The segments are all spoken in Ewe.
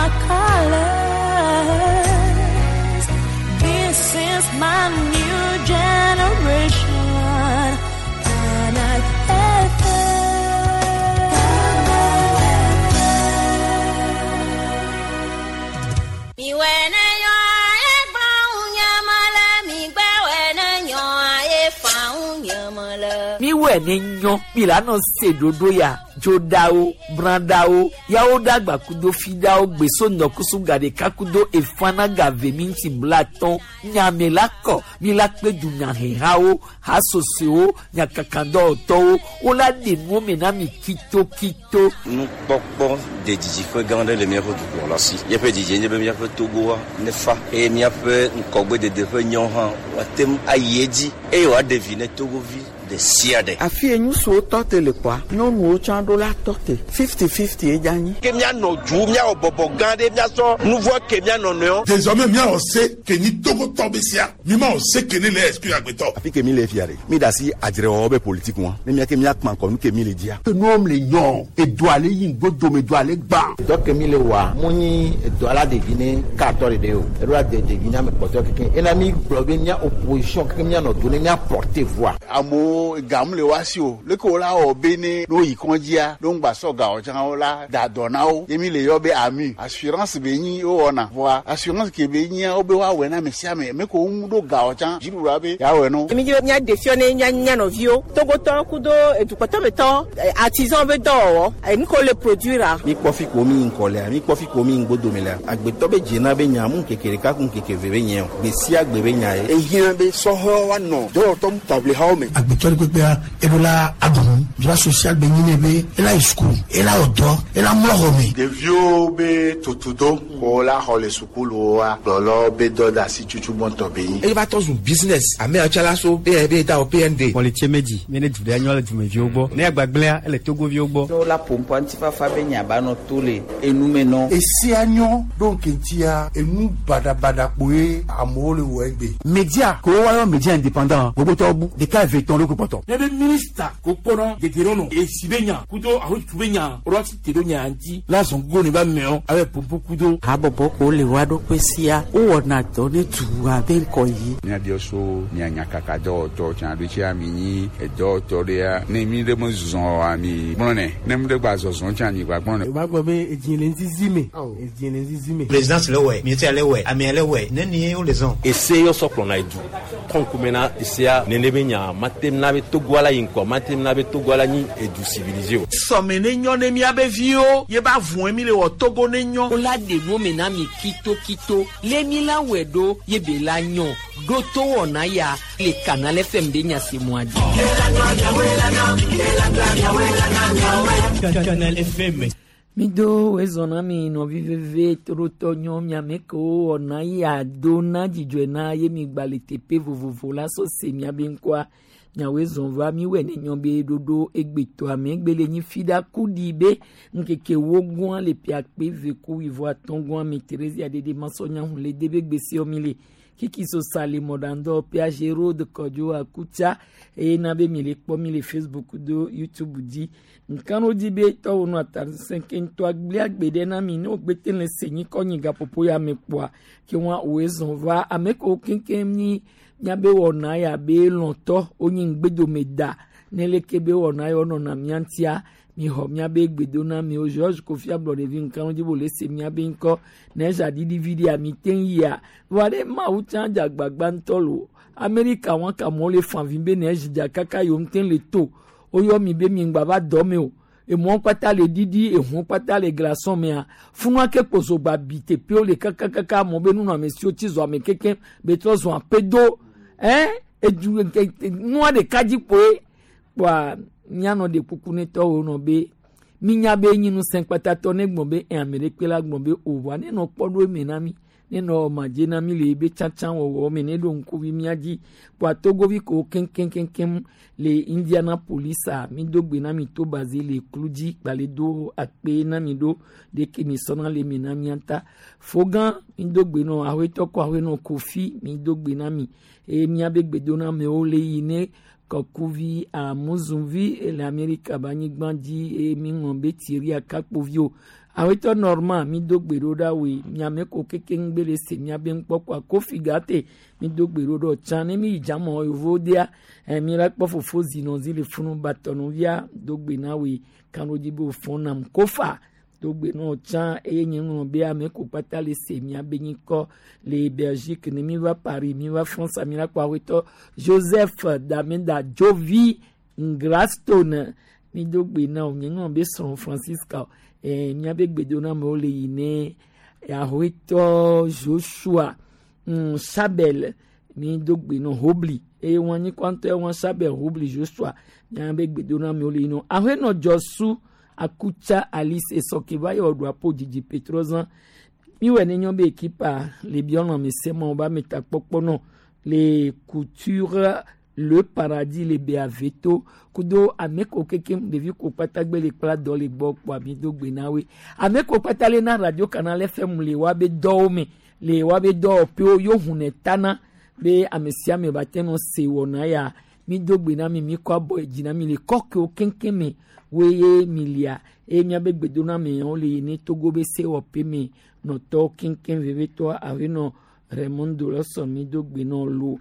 my colors. This is my new generation. Canal FM. Mi wene yo aye gba unyamala, mi gbe wene yo aye fa unyamala. Miwɛ ne nyɔ mi la nɔ se ɖoɖo ya dzoɖawo brãɖawo yawo ɖagba kudo fiɖawo gbeso ŋdɔkusu gaɖeka kudo efana gave mi ŋuti blatɔn nyame la kɔ mi la kpe dunyahehawo hasosowo nyakakadɔwɔtɔwo wola ɖe nuwo me na mi kitokito. Nukpɔkpɔ de didiƒe gã aɖe le míaƒe dukplɔla si. Míaƒe didie nye be míaƒe Togoa nefa eye míaƒe ŋgɔgbedede ƒe nyawo hã woate ŋu ayi edzi eye wòaɖe vi ne Togovi ɖe sia ɖe. Afi ye ŋutsuwo tɔ te le kpɔa, nyɔnuwo tsã ɖo la tɔ te. 50-50 ye dze anyi. Ke míanɔ du míawɔ bɔbɔ gã ɖe míasɔ nu vɔ ke míanɔ nɔewo. Désormais míawɔ se ke nyi Togotɔ be sia mi ma wɔ se ke ne le exclure agbetɔ. Afi ke mi le fia ɖe mi da asi adzrewɔwɔ be politique ŋua ne mía ke míakpã ŋkɔ nu ke mi le dzia. Nuwo le nyɔ edoa le yi ŋgbodome doa le gbã. Dɔ ke mi le wɔa mu nyi edɔ la ɖevi ne katɔ ɖeɖe o eɖo la de ɖevi ne ame kpɔtɔ keke ena mi gblɔ be mía opposition keke míanɔ do ne mía porter voix. Amewo gamu le woasi o leke wo la wɔ be ne no yi kɔndzia no ŋgba sɔ gawo tsã wo la da dɔ na wo ye mi le yɔ be ami assurance be nyi wowɔna vɔa assurance ke be nyia wo be woawɔe na ame sia ame me ko wo ŋu ɖo gawo tsã dziɖuɖua be yeawɔe no. Mi dzi be míaɖe fiɔ ne mía mía nɔviwo Togotɔwo kudo edukpɔtɔmetɔ artisan be dɔwɔwɔ enu ke wole produire. Mi kpɔ fi ko mi yi ŋkɔ lea mi kpɔ fi ko mi yi ŋgbodome lea agbetɔ be dzena be nya mu ŋkeke ɖeka ku ŋkeke eve be nye o gbe sia gbe be nya ye. Ehiã be sɔhɛwo woanɔ dɔwɔtɔ taʋlihawo me. Agbetɔ ɖe kpekpea eɖo la aɖu droit social be nyi ne be ela yi sukulu ela wɔ dɔ ela mlɔ xɔ me. Ɖeviwo be tutudo ko la xɔ le sukuluwoa kplɔlɔwo be dɔ de asi tutu gbɔntɔ be nyi. Eye va tɔ zu business ame yawo tsã la so be da wɔ PND. Kpɔlitse medzi mi ne du ɖe nyɔ le dumeviwo gbɔ ne agbagblẽa ele Togoviwo gbɔ. Ne wola ƒo ŋutifafa be nya ba nɔ to le enume nɔ. Esia nyɔ ɖo ŋkeŋtia enu baɖabaɖa kpoe amewo le wɔ egbe. Media ko woayɔ media indépendant gbogbotɔwo bu ɖeka eve tɔn ɖo ko kpɔtɔ. Ne be minista ko kpɔnɔ dedienɔnɔ esi be nya kudo ahotu be nya woɖo asi te ɖo nya ŋuti la zɔn gogo ne ba mɛɔ abe pompo kudo. Habɔbɔ ko le woa ɖokui sia wowɔna dɔ ne dua be ŋkɔ yi. Míabiɔ so mia nyakakadɔwɔtɔ tsã ɖo tsia mi nyi edɔwɔtɔ ɖea ne mi ɖe me zɔ oa mi gblɔnɛ ne mi ɖe gba zɔzɔ tsã mi gba gblɔnɛ. O b'a gbɔ be edzi le ŋzizi me edzi le ŋzizi me. Présidence le wɛ ministère le wɛ amea le wɛ nenie wo le zɔn. Ese yɔ sɔ kplɔna edu kɔnkume na esea nene be nya matem na be Togoa la yi ŋkɔ matem na be Togoa la nyi edu civilisé o. Sɔme ne nyɔ ne míabe viwo ye ba vɔe mi le wɔ Togo ne nyɔ. Wola ɖe nuwo me na mi kitokito lé mi la wɔe ɖo ye be la nyɔ ɖo to wɔna ya le Canal FM ɖe nya se mɔa dzi. Canal FM. Mi do ezɔ na mi nɔvi veve torotɔ nyɔ miame kewo wɔna ya do na dzidzɔe na ye mi gba le teƒe vovovo la sɔ se miabe ŋkɔa miawoe zɔn va miwɔe ne nyɔ be ɖoɖo egbetɔa me egbe le nyi fi ɖa ku ɖi be ŋkeke wo gɔa le piakpe ve ku wivɔ atɔ̃ gɔa me Theresia ɖeɖe masɔnya hun le de be gbesiɔ mi le kiki so sale mɔɖaŋdɔ piage road kɔdzo akutsa eye na be mi le kpɔ mi le Facebook do YouTube dzi nkanu dzi be tɔwo nu atasẽ ke ŋutɔ agblẽ agbe ɖe na mi ne wogbete le se nyi kɔ nyi gaƒoƒo ya me kpɔa ke wɔn woe zɔn va ame kewo keŋkeŋ nyi miabe wɔna ya be lɔ̃tɔ wonyi ŋgbedome da ne leke be wɔna ya wonɔna mía ŋutia mixɔ miabe gbedona miwo George Kofi Ablɔɖevi nkanu dzi bo le se miabe ŋkɔ ne dza ɖiɖi vi ɖia mi te ŋu yia vɔa ɖe Mawu tsã dze agbagba ŋutɔ lo Amerika wɔn ka amewo le fa vi be ne dza kaka yewo ŋute le to woyɔ mi be mi ŋgba va dɔ me o emɔ kpata le ɖiɖi ehu kpata le glaçon mea funua ke kposo gba bi teƒewo le kakakaka amewo be nunɔamesiwo tsi zɔ ame kekem be trɔ zɔ aƒedo ɛn edu nua ɖeka dzi kpoe kpoa mianɔ ɖe kuku ne tɔwo nɔ be minya be nyi ŋusẽ kpatatɔ ne gblɔ be ɛ ame ɖekpe la gblɔ be o vɔa ne nɔ kpɔ ɖo eme na mi ne nɔ madze na mi le ebe tsatsa wɔwɔ me ne ɖo ŋkuvi mía dzi kpoa Togovi ko keŋkeŋkeŋ le Indianapolis a mi do gbe na mi to baze le klu dzi kpale do akpe na mi ɖo ɖeke mi sɔna le me na mía ta fogã mi do gbe nɔ aƒetɔ kɔ aƒenɔ Kofi mi do gbe na mi eye míabe gbedonamewo le yi ne. Kɔkuvi Amuzunvi le Amerika be anyigba dzi eye mi ŋlɔ be Thierry Akakpoviwo. Awetɔ Norman mi do gbe ɖo ɖa woe miame ko keke ŋgbe le se miabe ŋkpɔkɔa Kofi Gate mi do gbe ɖo ɖe tsã ne mi yi dzamɔ yevowo dea mi la kpɔ fofo zinɔzi le funu batɔnuvia do gbe na woe kanɖodzi be wòfɔ nam Kofa do gbe na tsã eye nye ŋlɔ be ame ko kpata le se miabe nyikɔ le Belgique ne mi va Paris mi va France mi la kpɔ awetɔ Joseph Dameda Jovi Ngrastone mi do gbe na wo nye ŋlɔ be srɔ̃ Francisca miabe gbedoname le yi ne awetɔ Joshua Sabel mi do gbe na Hobli eye wɔn anyi kɔntɔ wɔn Sabel Hobli Joshua miabe gbedoname le yi na ahenɔ Jɔsu Akutsa Alice Esoke va yɔ ɖo apo dzidzi Petrozan miwɔ ne nyɔ be ekipa le biɔlɔ mi se mɔ ba mi ta kpɔkpɔ nɔ le couture le paradis le be aveto kudo ame ko keke ɖevi ko kpata gbe le kpla dɔ le gbɔ kpɔ ami do gbe na woe ame ko kpata le na radio canal FM le wa be dɔwo me le wa be dɔwɔƒewo yo hunɛ tana be ame sia ame ba te nɔ se wɔna ya mi do gbe na mi mi kɔ abɔ dzi na mi le kɔkewo keŋkeŋ me woye mi lia eye miabe gbedoname wo le yi ne Togo be sewɔƒe me nɔtɔwo keŋkeŋ vevitɔ avi nɔ Raymond Lɔsɔ mi do gbe nɔ lo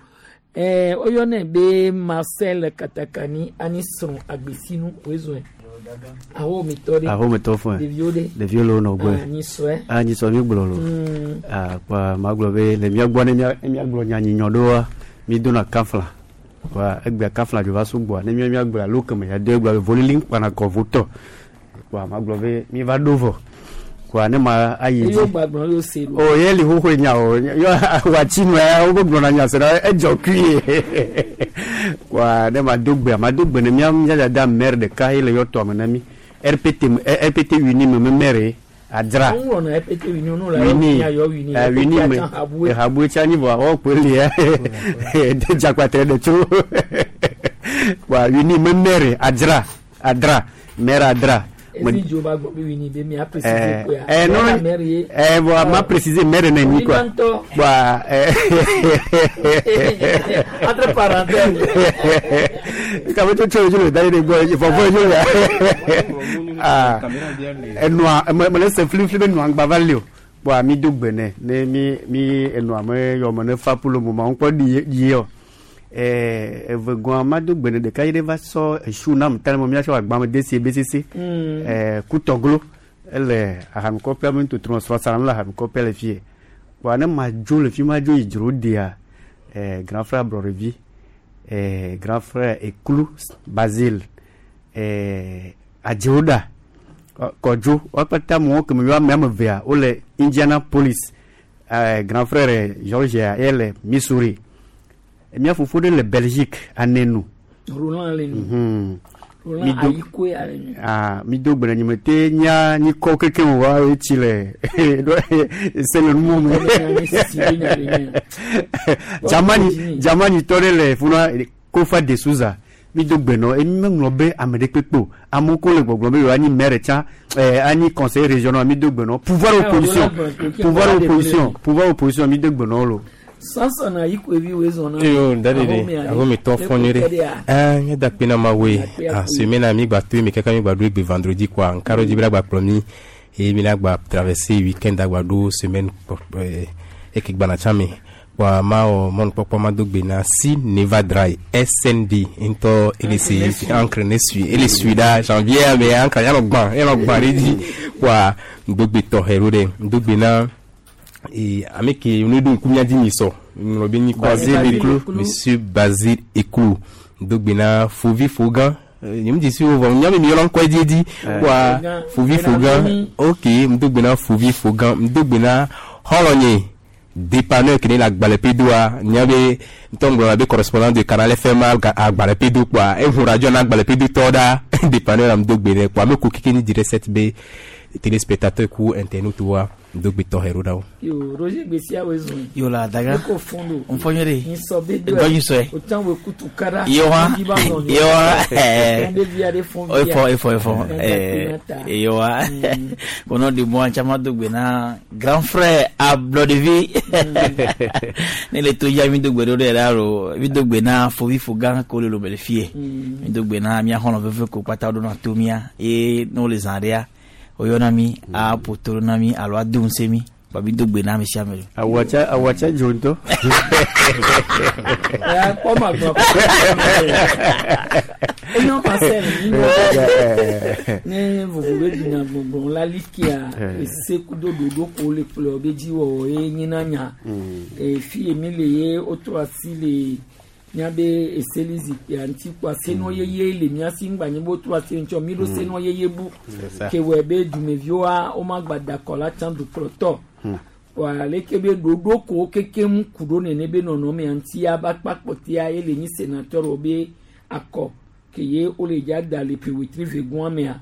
woyɔnɛ be Marcel Katakani ani srɔ̃ agbesinu woezɔe ahometɔ ɖe ahometɔ fún ɖeviwo ɖe ɖeviwo le wo nɔ gbɔe anyisɔe anyisɔ mi gblɔ lo kpa ma gblɔ be le mía gbɔ ne míagblɔ nya nyinyɔ ɖoa mi dona kafla wa egbea kafla dzo va sugbɔa ne mía gblɔ alo keme ya do egblɔ be volili kpana kɔ votɔ kpa ma gblɔ be mi va ɖo vɔ kpa ne ma ayi dzi o ye li xoxoe nya o yɔ watsi nu ya wo gblɔna nya se na edzɔ kui ye kpa ne ma do gbe ma do gbe ne mía mía dada maire ɖeka ye le yɔ tɔa me na mi RPT RPT wini me me maire adra wini wini me ehabue tsa nyi vɔ awɔ kpe lia de dzakpatre ɖe tso kpa wini me maire adra adra maire adra. Non, bon, ma préciser maire n'est quoi. Bah, entre parenthèses. Quand tu tu le d'aller go, il faut voir ah, noa, me laisse flip flip noa gbavalio. Bon, mi do gbene, ne mi mi noa me yo me ne fa pour le moment, on peut dire evegɔa ma do gbene ɖeka yi ɖe va sɔ esu nam tellement míatsɔ agbame desi BCC kutɔglo ele ahanukɔƒea me ŋutɔtrɔ srɔ̃sara le ahanukɔƒea le fie kpoa ne ma dzo le fi ma dzo yi dzro dea grand frère Ablɔɖevi grand frère Eklu Basile Adzewoɖa Kɔdzo wo katã amewo keme yɔ ame evea wole Indianapolis grand frère Georgia ye le Missouri. Mía fofo ɖe le Belgique anenu. Roland le nu. Roland Ayikoe ale nu. Ah, mi do gbe nye te nya nyikɔ keke wo wa etsi le se le numo me. Jamani Jamani tɔ ɖe le funa Kofa de Souza. Mi do gbe nɔ emi meŋlɔ be ame ɖe kpekpe o. Amewo ko le gbɔgblɔ be yewoa nyi maire tsã anyi conseiller régional mi do gbe nɔ pouvoir opposition pouvoir opposition pouvoir opposition mi do gbe nɔ lo. Sansan na yikoevi wo zɔn na. Yo dade de ahometɔ fɔnye ɖe nye da kpe na ma woe a semaine a mi gba to mi kaka mi gba ɖo egbe vendredi quoi nkaro dzi be la gba kplɔ mi eye mi la gba traverser weekend agba ɖo semaine eke gbana tsã me kpoa ma wɔ mɔnukpɔkpɔ ma do gbe na si Neva Dry SND ŋutɔ ele se encre ne sui ele sui ɖa janvier me encre yanɔ gbã ɖe dzi kpoa ŋdogbe tɔxɛ ɖo ɖe ŋdogbe na. Et ame ke ne do nkumia di mi sɔ ŋlɔ be nyi Basile Eklu monsieur Basile Eklu dogbena Fovi Fogan nyem di si wo nyame mi yɔlɔ ŋkɔ di di wa Fovi Fogan ok dogbena Fovi Fogan dogbena xɔlɔnye dépanneur ke ne le agbalẽpedoa nyabe ŋutɔ ŋgblɔna be correspondant de Canal FM agbalẽpedo kpoa ehu radio na agbalẽpedotɔ ɖa dépanneur am dogbe nɛ kpoa ame ko keke ni direct 7 be téléspectateur ku internaute wa. Ŋdogbe tɔxɛ ɖo ɖa wo. Yo, Roger Gbessia wo zɔn. Yo la daga. Eko fɔn do. N fɔ nyere. Nyisɔ be do. Dɔ nyisɔe. O tan wo kutu kara. Yo wa. Yo wa. Ɛɛ. Be via de fɔn via. Efɔ efɔ efɔ. Ɛɛ yo wa. Au nom de moi caman dogbe na grand frère Ablɔdevi. Ne le to ya mi dogbe ɖo ɖe la lo. Mi dogbe na fovi fogan ko le lo be le fie. Mi dogbe na mia xɔlɔ̃ veve ko kpata ɖo na to mia ye ne wole zã ɖea woyɔna mi aƒo to ɖo na mi alo ado ŋusẽ mi ba mi dogbe na ame sia ame. Awatsa awatsa dzo ŋutɔ. Ya kpɔ ma gblɔ. Enyo pasel ne vovo be dunya gbɔgblɔ la likia ese kudo ɖoɖo ko le kplɔ be dzi wɔwɔ ye nyina nya. Fi ye mi le ye wotrɔ asi le miabe eseli zikpuia ŋuti kpɔa senɔ yeye le mia si ŋgba nye be wotrɔ asi ŋuti mi ɖo senɔ yeye bu ke wɔ be dumeviwoa womagba da akɔ la tsã dukplɔtɔ wa leke be ɖoɖo ko kekem ku ɖo nene be nɔnɔmea ŋutia ba kpa kpɔtia ye le nyi sénateur wo be akɔ ke ye wole dza da le ƒe wetri ve gɔa mea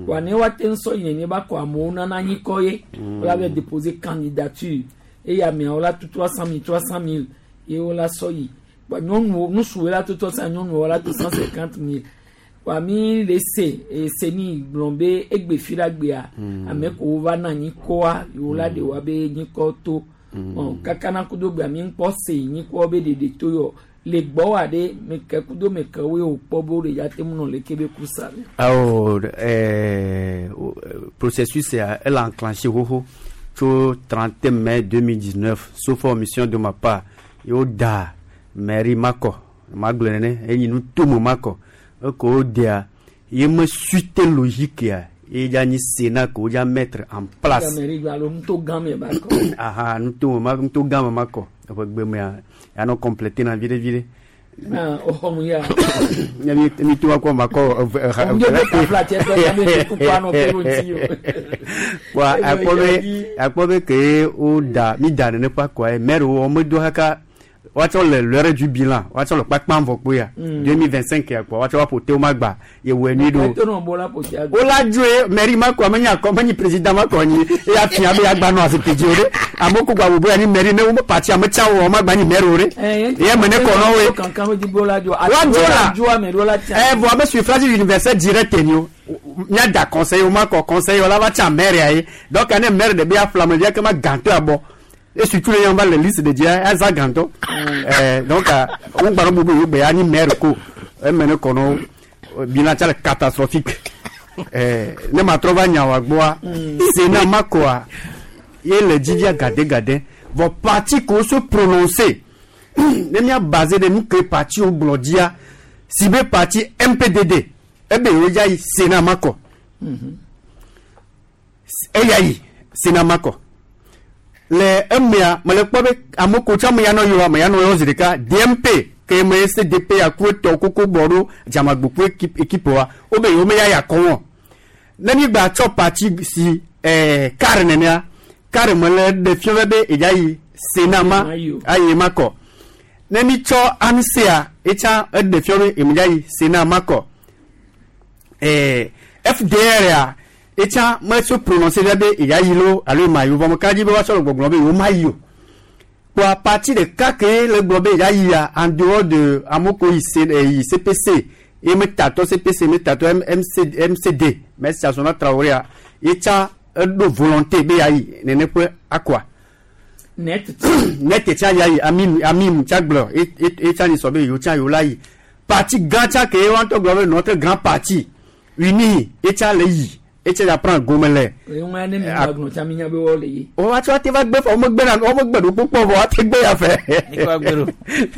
wa ne woate ŋu sɔ yi nene ba kɔ amewo nana anyikɔ ye wola va déposer candidature eye ameawo la tu 300 000 300 000 ye wola sɔ yi nyɔnuwo nusuwo la to tɔ sa nyɔnuwo la to 150 000 wa mi le se ese ni gblɔ be egbe fi la gbea ame ko va na nyikɔa yewo la de wa be nyikɔ to ɔ kaka na kudo gbea mi ŋkpɔ se nyikɔ be ɖeɖe to yɔ le gbɔ wa ɖe meke kudo meke wo ye wòkpɔ be wo ɖe ya te ŋu nɔ leke be ku sa. Awo processus ya elle a enclenché xoxo tso 31 mai 2019 sauf omission de ma part yewo da mairie makɔ magblɔ nene enyi nutome makɔ eko wodea ye me suite logique ya ye dza nyi sénat ko wodza mettre en place. Mairie gba alo nuto gã me ba kɔ. Aha nutome ma nuto gã me makɔ eƒe gbe mea yanɔ compléter na viɖe viɖe. Ah, oxɔ mu ya. Ne mi mi to akɔ makɔ eve eha eve. Ŋdɔ tafla tse tɔ ya be kuku anɔ pe ɖo ŋuti o. Wa akpɔ be akpɔ be ke wo da mi da nene ƒe akɔa ye maire wo medo kaka woatsɔ le l'heure du bilan woatsɔ le kpakpam vɔ kpoe ya 2025 ya kpɔ woatsɔ woaƒo te wo ma gba yewɔe nyui ɖo wola dzoe mairie ma kɔ menye akɔ menye président ma kɔ nyi eya fia be agba nɔ azikpui dzi o ɖe amewo ko gba bubu ya nyi mairie ne wo parti ame tsa wɔ ma gba nyi maire o ɖe ye me ne kɔ nɔ woe woadzo la ɛ vɔ abe suffrage universel direct ni o míada conseil wo ma kɔ conseil wo la va tsa maire ya ye donc ne maire de be aƒle ame via ke ma gãtɔ abɔ et surtout les gens les listes de dia aza gantɔ donc on gbara bubu yo be ani maire ko e mene kono bilan tsa le catastrophique ne ma trɔ va nya wa gbɔa sénat ma koa ye le dzivia gade gade vɔ parti ko se prononcer ne mia basé de nu ke parti wo gblɔ dzia si be parti MPDD ebe yewo dza yi sénat ma kɔ eya yi sénat ma kɔ le emea mele kpɔ be ame ko tsɔ ame ya nɔ yɔ ame ya nɔ yɔ zi ɖeka DMP ke me CDP aku etɔ koko bɔ ɖo dzamagbo ku équipe wa wo be yewo me ya ya kɔ wɔn ne mi gba tsɔ parti si kar nenea kar me le ɖe fia be edza yi Sénat ma ayi ma kɔ ne mi tsɔ ANSEA etsa eɖe fia be eme dza yi Sénat ma kɔ FDR ya etsa me se prononcer fia be edza yi lo alo ema yi o vɔ me ka dzi be woatsɔ le gbɔgblɔ be yewo ma yi o kpɔa parti ɖeka ke le gblɔ be edza yia en dehors de amewo ko yi yi CPC ye me tatɔ CPC me tatɔ MC MCD Merci Asona Traoré ya etsa eɖo volonté be ya yi nene ƒe akɔa net net tsa ya yi ami ami tsa gblɔ etsa ni sɔ be yewo tsa yewo la yi parti gã tsa ke wa ŋutɔ gblɔ be notre grand parti uni etsa le yi etsa ya prend gome le. Eŋua ne mi gba gblɔ tsa mi nya be wɔ le yi. O wa tsɔ ate va gbe fɔ wo megbe na wo megbe ɖo kpokpɔ vɔ ate gbe ya fɛ. Nikɔ gbe ɖo.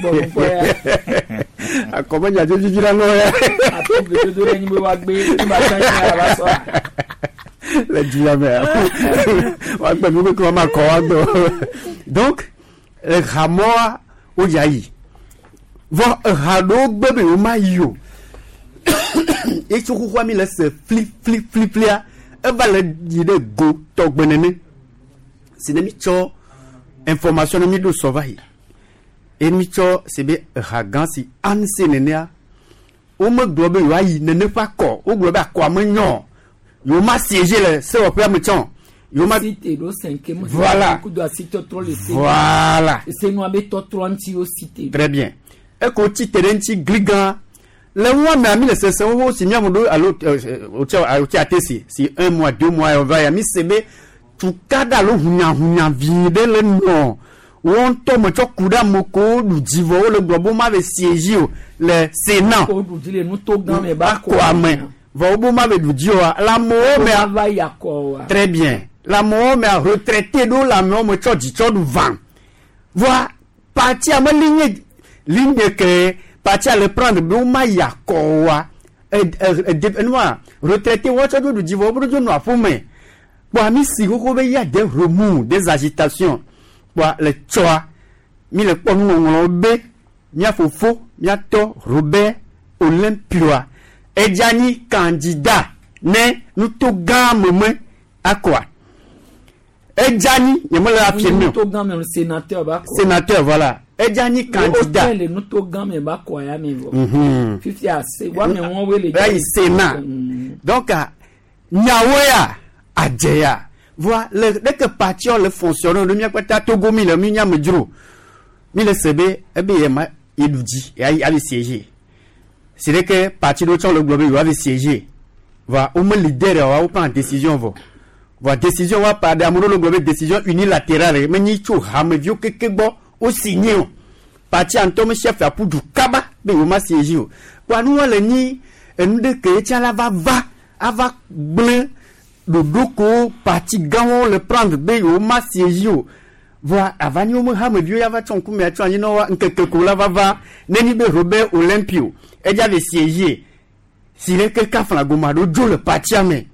Bɔn kpɔ ya. Akɔme nya dzo dzidzi la nɔ ya. Ato gbedodo ɖe nyi be wa gbe ne ba tsa nyi ya va sɔ. Le du ya me wa gbe nu keke wa ma kɔ wa gbe donc ehamɔa wo dza yi vɔ eha ɖewo gbe be yewo ma yi o etso xoxoa mi le se fli fli fli flia eva le yi ɖe go tɔgbe nene si ne mi tsɔ information ne mi ɖo sɔ va yi eye mi tsɔ si be eha gã si ANC nenea womegblɔ be yewoayi nene ƒe akɔ wogblɔ be akɔa menyɔ yewo ma siéger le sewɔƒea me tsɔ Yoma Cité ɖo cinquième. Voilà. Kudo asitɔtrɔ le se. Voilà. Senua be tɔtrɔ ŋuti wo cité. Très bien. Eko tsi te ɖe ŋuti gligã. Le nua mea mi le sese xoxo si miamu ɖo alo wotsi wotsi ate si si un mois 2 mois va ya mi se be tukaɖa alo hunyahunya vi ɖe le nɔ wɔn ŋutɔ me tsɔ ku ɖe ame kewo ɖu dzi vɔ wole gblɔ be woma ve siège o le Sénat. Wo ɖu dzi le nuto gã me ba kɔ ame vɔ wo be woma ve ɖu dzi oa le amewo mea. Va yi akɔ wa. Très bien. Le amewo mea, retraité ɖewo le amewo me tsɔ dzi tsɔ ɖu vã. Voa partia me ligne ligne ke partia le prendre be woma yi akɔ oa enua retraité wɔn tsɔ ɖu dzi vɔ wo ɖo nɔ aƒeme. Kpɔa mi si xoxo be ya des remous, des agitations. Kpɔa le tsɔa mi le kpɔ nuŋɔŋlɔwo be mía fofo míatɔ Robert Olympioa edza nyi candidat ne nuto gã me me akɔa edza nyi nye me le affirmer o. Nuto gã me sénateur ba kɔ. Sénateur, voilà, edza nyi candidat. Wo le nuto gã me ba kɔ ya me vɔ. Fifia se wa me wɔn wo le. Ayi Sénat. Donc nyawo ya adze ya voa le ɖeke partia le fonctionner ɖo mía kpata Togo mi le mi nya me dzro mi le se be ebe ye ma ye ɖu dzi ya avi siéger si ɖeke parti ɖewo tsɔ le gblɔ be yewoa vi siéger voa wo me leader wa wo prend décision vɔ voa décision wa pa ɖe ame ɖewo le gblɔ be décision unilatérale menyi tso hameviwo keke gbɔ wo signé o. Partia ŋutɔ me chef aƒu du kaba be yewo ma siéger o. Kpoa nua le nyi enu ɖe ke etsa la va va ava gblẽ ɖoɖo ko parti gãwo le prendre be yewo ma siéger o. Voa ava nyi wo me hameviwo ya va tsɔ ŋkume atsɔ anyi na wa ŋkeke ko la va va nenyi be Robert Olympio edza le siéger si ɖe ke kafla goma ɖo dzo le partia me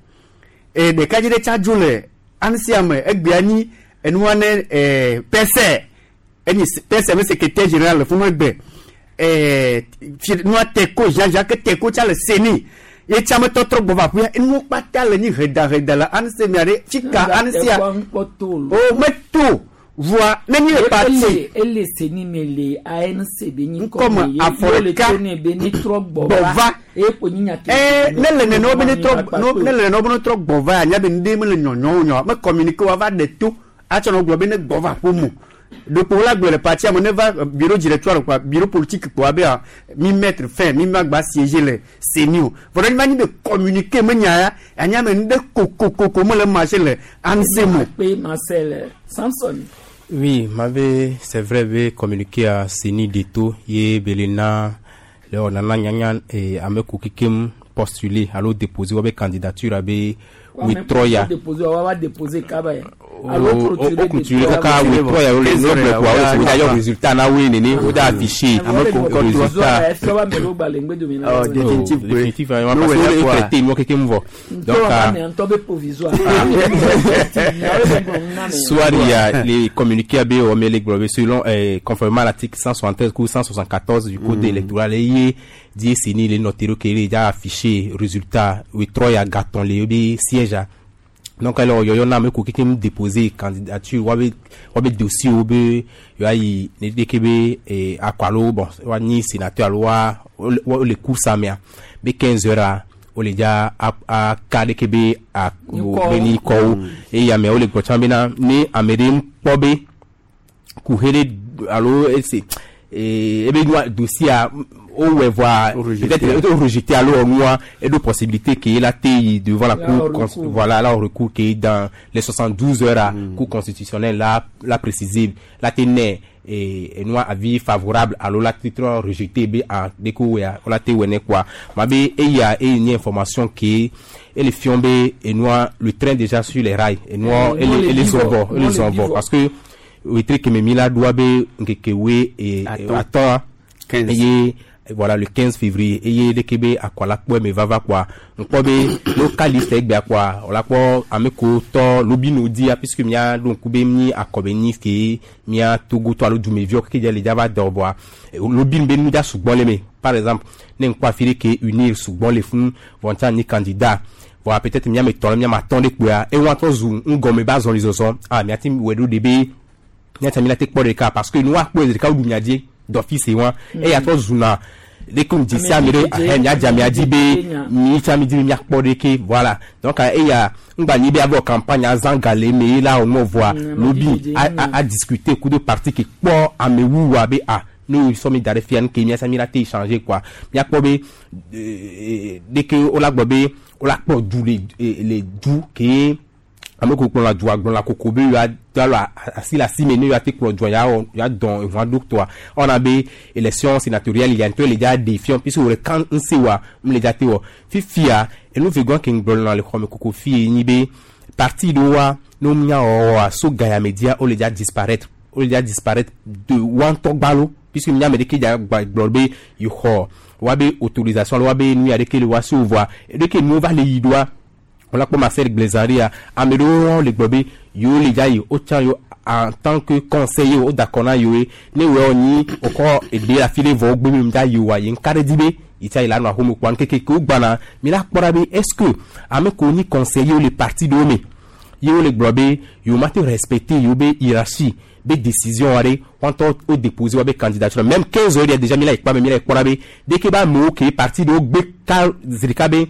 e ɖekadze ɖe tsa dzo le ansia me egbea nyi enua ne pɛsɛ enyi pɛsɛ me secrétaire général le funu egbe fi nua teko Jean Jacques Teko tsa le seni ye tsa me tɔtrɔ gbɔ va ƒuya enuwo kpata le nyi heda le ansia mia ɖe fika ansia o meto voa nenyi le parti. Ele seni me le ANC be nyi Ŋkɔme afɔ ye le ɖeka to ne be ne trɔ gbɔ gbɔ va. Eye ko nyi nya Ne le nene be ne trɔ no ne le nene be ne trɔ gbɔ va anya be ŋɖe me le nyɔnyɔ nyɔ me communiqué wa va ɖe to atsɔ nɔ gblɔ be ne gbɔ va ƒo mo ɖokpo la gblɔ le partia me ne va bureau directoire quoi, bureau politique quoi, be mi mettre fin mi ma gba siéger le CENI o. Vɔ ne ma nyi be communiqué me nya ya anya me ŋɖe kokokoko me le marché le ANC mo. Pe Marcel Samson. Oui, m'avait, c'est vrai, be communiqué à CENI d'Eto, ye belena, le onana nyanya, et ame kukikem postuler, alo déposer, wabe candidature, abe, witroya. Déposer wa wa déposer kaba ye. O clôturer kaka witroya, o le noble quoi, o d'ailleurs résultat na we nene, o da affiché, résultat. Oh, définitif, oui. Définitif, vraiment, parce que o traité, moi, quelqu'un me voit. Donc, soit il y a les communiqués à B, les globes, selon, conformément à l'article 173 ou 174 du code électoral, et dit, c'est ni les notaires qui est déjà affiché, résultat, oui, trois, il y a gâton, les siège. Donc, alors, il y en a qui ont déposé candidature, ou wabe dossier, ou be, yo ayi, ne dekebe, et akwalo, bon, wa ni sénateur, wa, ou les coups ça, mais, 15 heures, o le dza a ka ɖeke be a be ni kɔwo eye ameawo le gbɔtsã bena ne ame ɖe kpɔ be kuhe ɖe alo ese ebe nua dossier wowɔe vɔa peut-être o rejeté alo nua eɖo possibilité ke la te yi devant la cour, voilà, là au recours ke dans les 72 heures a cour constitutionnelle la précisé la te nɛ et nua avis favorable alo la te trɔ rejeté be a de ko wea la te wɔ ne quoi ma be eya eye ni information ke ele fiɔn be enua le train déjà sur les rails enua ele zɔn vɔ ele zɔn vɔ parce que wetri kɛmɛ mi la doa be nkeke we e atɔn eye voilà le 15 février eye leke be akɔla kpɔ me vava quoi nkpɔ be local liste egbea quoi wòla kpɔ ame ko tɔ lobino dia puisque mia ɖo ŋku be mi akɔbe nyi ke mia Togo tɔ alo dumeviwo keke dze le dza va dɔ vɔa lobino be nu dza sugbɔ le me. Par exemple, ne ŋkpɔ afi ɖe ke unir sugbɔ le funu vɔ ŋtsa nyi candidat vɔa peut-être mia me tɔ le mia ma tɔn ɖe kpoa ewa trɔ zu ŋgɔme ba zɔli zɔzɔ ah mia ti wɔ ɖo de be mia tsa mi la te kpɔ ɖeka parce que nu wa kpɔ ɖeka wo ɖu mia dzi d'office wa eya trɔ zuna. Ɖeke ŋdzi sia ame ɖe ahɛ miadze amea dzi be mi tsã mi di be miakpɔ ɖeke voilà. Donc eya ŋgba nyi be ava wɔ campagne azã ga le eme ye la wɔ nua vɔa lobi a a a discuter kudo parti ke kpɔ amewuwua be ah ne wo sɔ mi da ɖe fia nuke mia tsã mi la te changer quoi. Miakpɔ be ɖeke wola gblɔ be wola kplɔ du le le du ke ame kewo kplɔna dua gblɔna koko be yewoa do alɔ asi le asi me ne yewoa te kplɔ dua yeawɔ yewoa dɔn eʋua ɖo tɔa ewɔna be élection sénatoriale ya ŋutɔ le dza ɖe fiɔ puisque wò ɖeka ŋse wa mu le dza te wɔ. Fifia enu vegɔa ke ŋgblɔna le xɔme koko fiye nyi be parti ɖewoa ne wo nya wɔwɔa so gayame dzia wo le dza disparaître wo le dza disparaître de woa ŋutɔ gbalo puisque mía ame ɖeke dza gba gblɔ be yi xɔ woabe autorisation alo woabe nu ya ɖeke le woa si o vɔa ɖeke nuwo va le yi ɖoa wola kpɔ Marcel Gblezã ɖea ame ɖewo hã le gblɔ be yewo le dza yi wotsã yewo en tant que conseiller wo da kɔ na yewoe ne wòe nyi wokɔ eɖe le afi ɖe vɔ wogbe be mdza yi oa ye ŋka ɖe dzi be yi tsa yi la nɔ axome kpoa ŋkeke ke wogbana mi la kpɔ ɖa be est ce que ame kewo nyi conseiller le parti ɖewo me ye wole gblɔ be yewo ma te respecter yewo be hiérarchie be décision aɖe woa ŋutɔ wo déposer woabe candidature même 15 heures ɖea déjà mi la yi kpɔ ame mi la yi kpɔ ɖa be ɖeke be amewo ke parti ɖewo gbe ka zi ɖeka be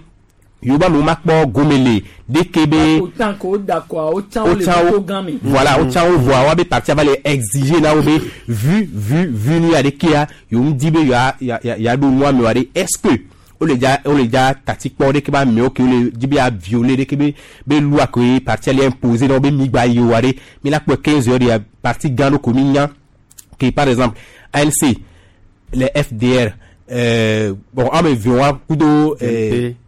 yewo be amewo makpɔ gome le ɖeke be Autant que d'accord, autant le wotsã wo programme. voilà wotsã wo vɔa woabe parti va le exiger na wo be vu vu vu nu ya ɖekea yewo ŋdi be yewoa ya ya yeaɖo nua me wa ɖe est ce que wole dza wole dza tati kpɔ ɖeke be amewo ke wole dzi be ya violer ɖeke be be loi ke parti le imposer na wo be mi gba yi wa ɖe mi la kpɔe 15 heures ɖea parti gã ɖo ko mi nya ke par exemple ANC les FDR bon ame eve wa kudo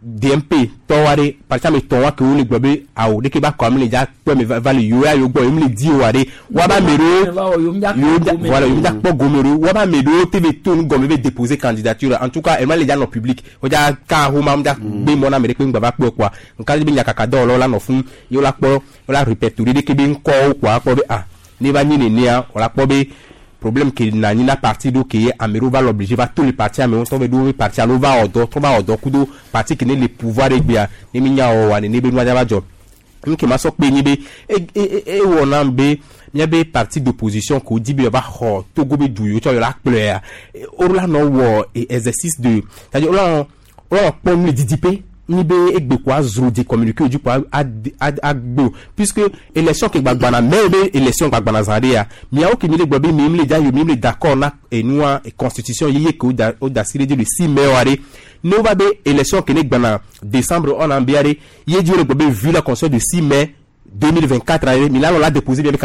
DMP tɔ wa ɖe parti ame tɔn wa ke wole gblɔ be awo ɖeke ba kɔ ame le dza kpɔ me va le yewo ya yewo gbɔ yewo le di o wa ɖe wa ba ame ɖewo yewo dza voilà yewo dza kpɔ gome ɖo wa ba ame ɖewo te be to nu gɔme be déposer candidature en tout cas ema le dza nɔ public wo dza ka homa dza gbe mɔ na ame ɖe kpe ŋgba va kpɔe kpoa ŋka dzi be nyakaka dɔwɔlawo la nɔ fún ye wola kpɔ wola répertorier ɖeke be ŋkɔwo kpoa akpɔ be ah ne va nyi nenea wola kpɔ be problème ke na anyi na parti ɖo ke ame ɖewo va le obligé va to le parti amewo ŋutɔ be ɖo woƒe parti alo va wɔ dɔ trɔ va wɔ dɔ kudo parti ke ne le pouvoir egbea ne mi nya wɔwɔa nene be nua dza va dzɔ. Nu ke ma sɔ kpe nyi be e e ewɔ nam be míabe parti d'opposition ko di be yewoava xɔ Togo be du yewo tsɔ yewo la kplɔea wo la nɔ wɔ exercice de c'est à dire wo la nɔ wo la nɔ kpɔ nu le didiƒe nyi be egbe ko azro di communiqué dzi ko agbe o puisque élection ke gbagbana mais be élection gbagbana zã ɖea miawo ke mi le gblɔ be mi le dza yi mi le d'accord na enua constitution yeye ke wo da asi ɖe dzi le 6 mai wa ɖe ne wova be élection ke ne gbana décembre ɔna bia ɖe ye dzi wo le gblɔ be vu la constitution de 6 mai 2024 aɖe mi la lɔ la déposer bien be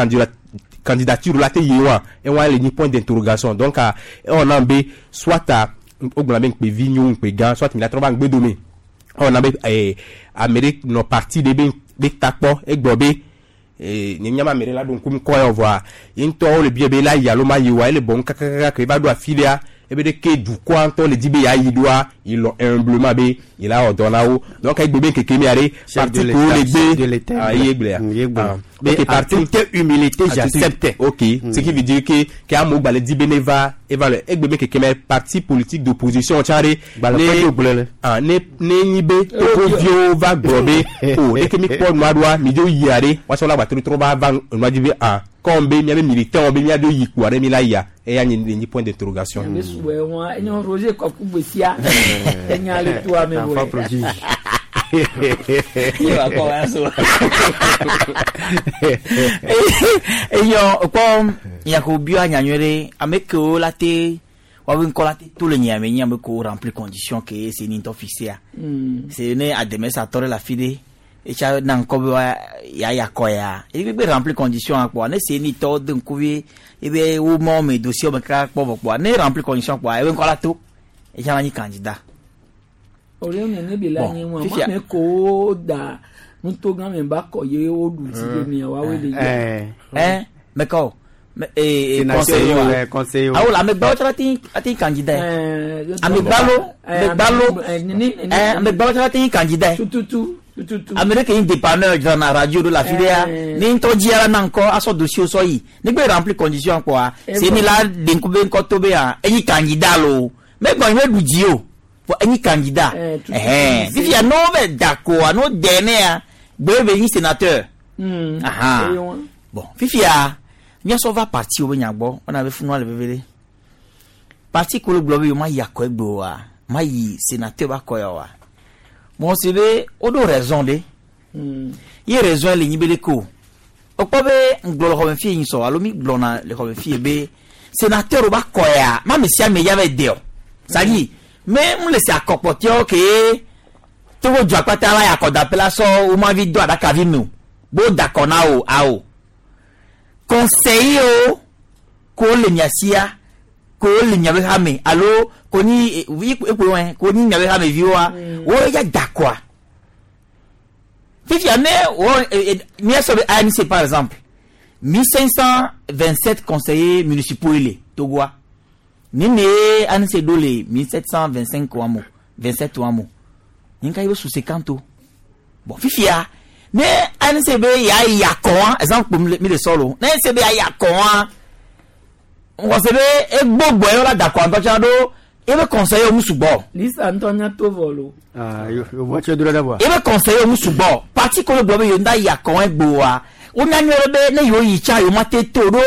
candidature la te yi wa ewa le nyi point d'interrogation donc ewɔna be soit wogblɔna be ŋkpevi nyo ŋkpe gã soit mi la trɔ va ŋgbe dome ewɔna be ame ɖe nɔ parti ɖe be be takpɔ egblɔ be nye nyama ame ɖe la ɖo ŋkum kɔ ya vɔa ye ŋutɔ wole bia be la yi alo ma yi oa ele bɔm kakakaka ke va ɖo afi ɖea ebe ɖe ke dukɔa ŋutɔ le di be yeayi ɖoa yi lɔ humblement be yi la wɔ dɔ na wo donc egbe be ŋkeke mia ɖe parti kewo le gbe ah ye gblɔa ah ok parti toute humilité j'accepte ok ce qui veut dire que ke amewo gba le di be ne va eva le egbe be ŋkeke mia parti politique d'opposition tsã ɖe ne ah ne ne nyi be togoviwo va gblɔ be o ɖeke mi kpɔ nua ɖoa mi dzo yia ɖe woatsɔ la gba trɔ trɔ va va nua dzi be ah comme be miabe militant be miadzo yi kpoa ɖe mi la yia eya nye nye point d'interrogation. Ebe suwɛ wọn enyo Roger kɔku gbesia enya le toa me wɛ. Ye wa kɔ wa so. Eyɔ kpɔ nyako bia nyanyue ɖe ame kewo la te woabe ŋkɔ la te to le nyia me nye ame kewo remplir condition ke se ni ŋutɔ fixé se ne ademesatɔ ɖe le afi ɖe etsa na ŋkɔ be wa ya ya kɔ ya eyi be remplir condition kpɔa ne se ni tɔ de ŋkuvi ebe wo mɔ me dossier me kaka kpɔ vɔ kpɔa ne remplir condition kpɔa ebe ŋkɔ la to etsa la nyi candidat. Ore nene bi la nye wọn fifia- ame kewo da nutogã me ba kɔ ye wo ɖu dzi ɖe mia woawoe le yia. Ɛn mɛka o ee Sénateur, conseiller wa ouais, conseiller. awo la amegbawo tsɔ la ti ati candidat ye amegbalo amegbalo ɛn amegbalo tsɔ la ti candidat ye tututu tututu ame ɖe ke nyi dépanneur dzrana radio ɖo le afi ɖea ne ŋutɔ dzia la na ŋkɔ asɔ dossier sɔ yi ne gbe remplir condition kpɔa se ni la ɖe ŋku be ŋkɔ to be hã enyi candidat lo megbɔ nyi be ɖu dzi o vɔ enyi candidat ɛhɛn fifia ne wo bɛ da koa ne wo dɛ nea gbe be nyi sénateur aha bon fifia míasɔ va parti wo be nya gbɔ wɔna be funua le veve ɖe. Parti ko le gblɔ be yewo ma yi akɔ egbe oa, ma yi sénateur ba kɔ ya oa. Bon se be woɖo raison ɖe. Ye raison le nyi be ɖeke o. Wokpɔ be ŋgblɔ le xɔme fie nyi sɔ alo mi gblɔna le xɔme fie be sénateur ba kɔ ya ma ame sia ame ya va de o. C'est-à-dire mais mu le se akɔkpɔtiawo ke Togo du akpata la ya akɔdaƒe la sɔ wo ma vi do aɖakavi me o. Bo da akɔ na wo awo. Conseiller wo ko le mia sia ko le miabe hame alo ko nyi ekpo wɔn ko nyi miabe hame viwoa wo ya da akɔa. Fifia ne wo miasɔ be ANC par exemple 1527 conseillers municipaux le Togoa. Ni ne ANC ɖo le 1725 wa mo 27 wa mo. Nika yi be su 50 o. Bon fifia ne ANC be ya yi akɔ exemple mi le sɔ lo ne ANC be ya yi akɔ wa wɔsɛ be egbogbo yɔ la da akɔ ŋutɔ tsã ɖo ebe conseiller mu sugbɔ. Lisa ŋutɔ nya to vɔ lo. Yovo tse do ɖe vɔa. Ebe conseiller mu sugbɔ parti ko le gblɔ be yewo da yi akɔ egboa wonya nyuie ɖe be ne yewo yi tsã yewo ma te to ɖo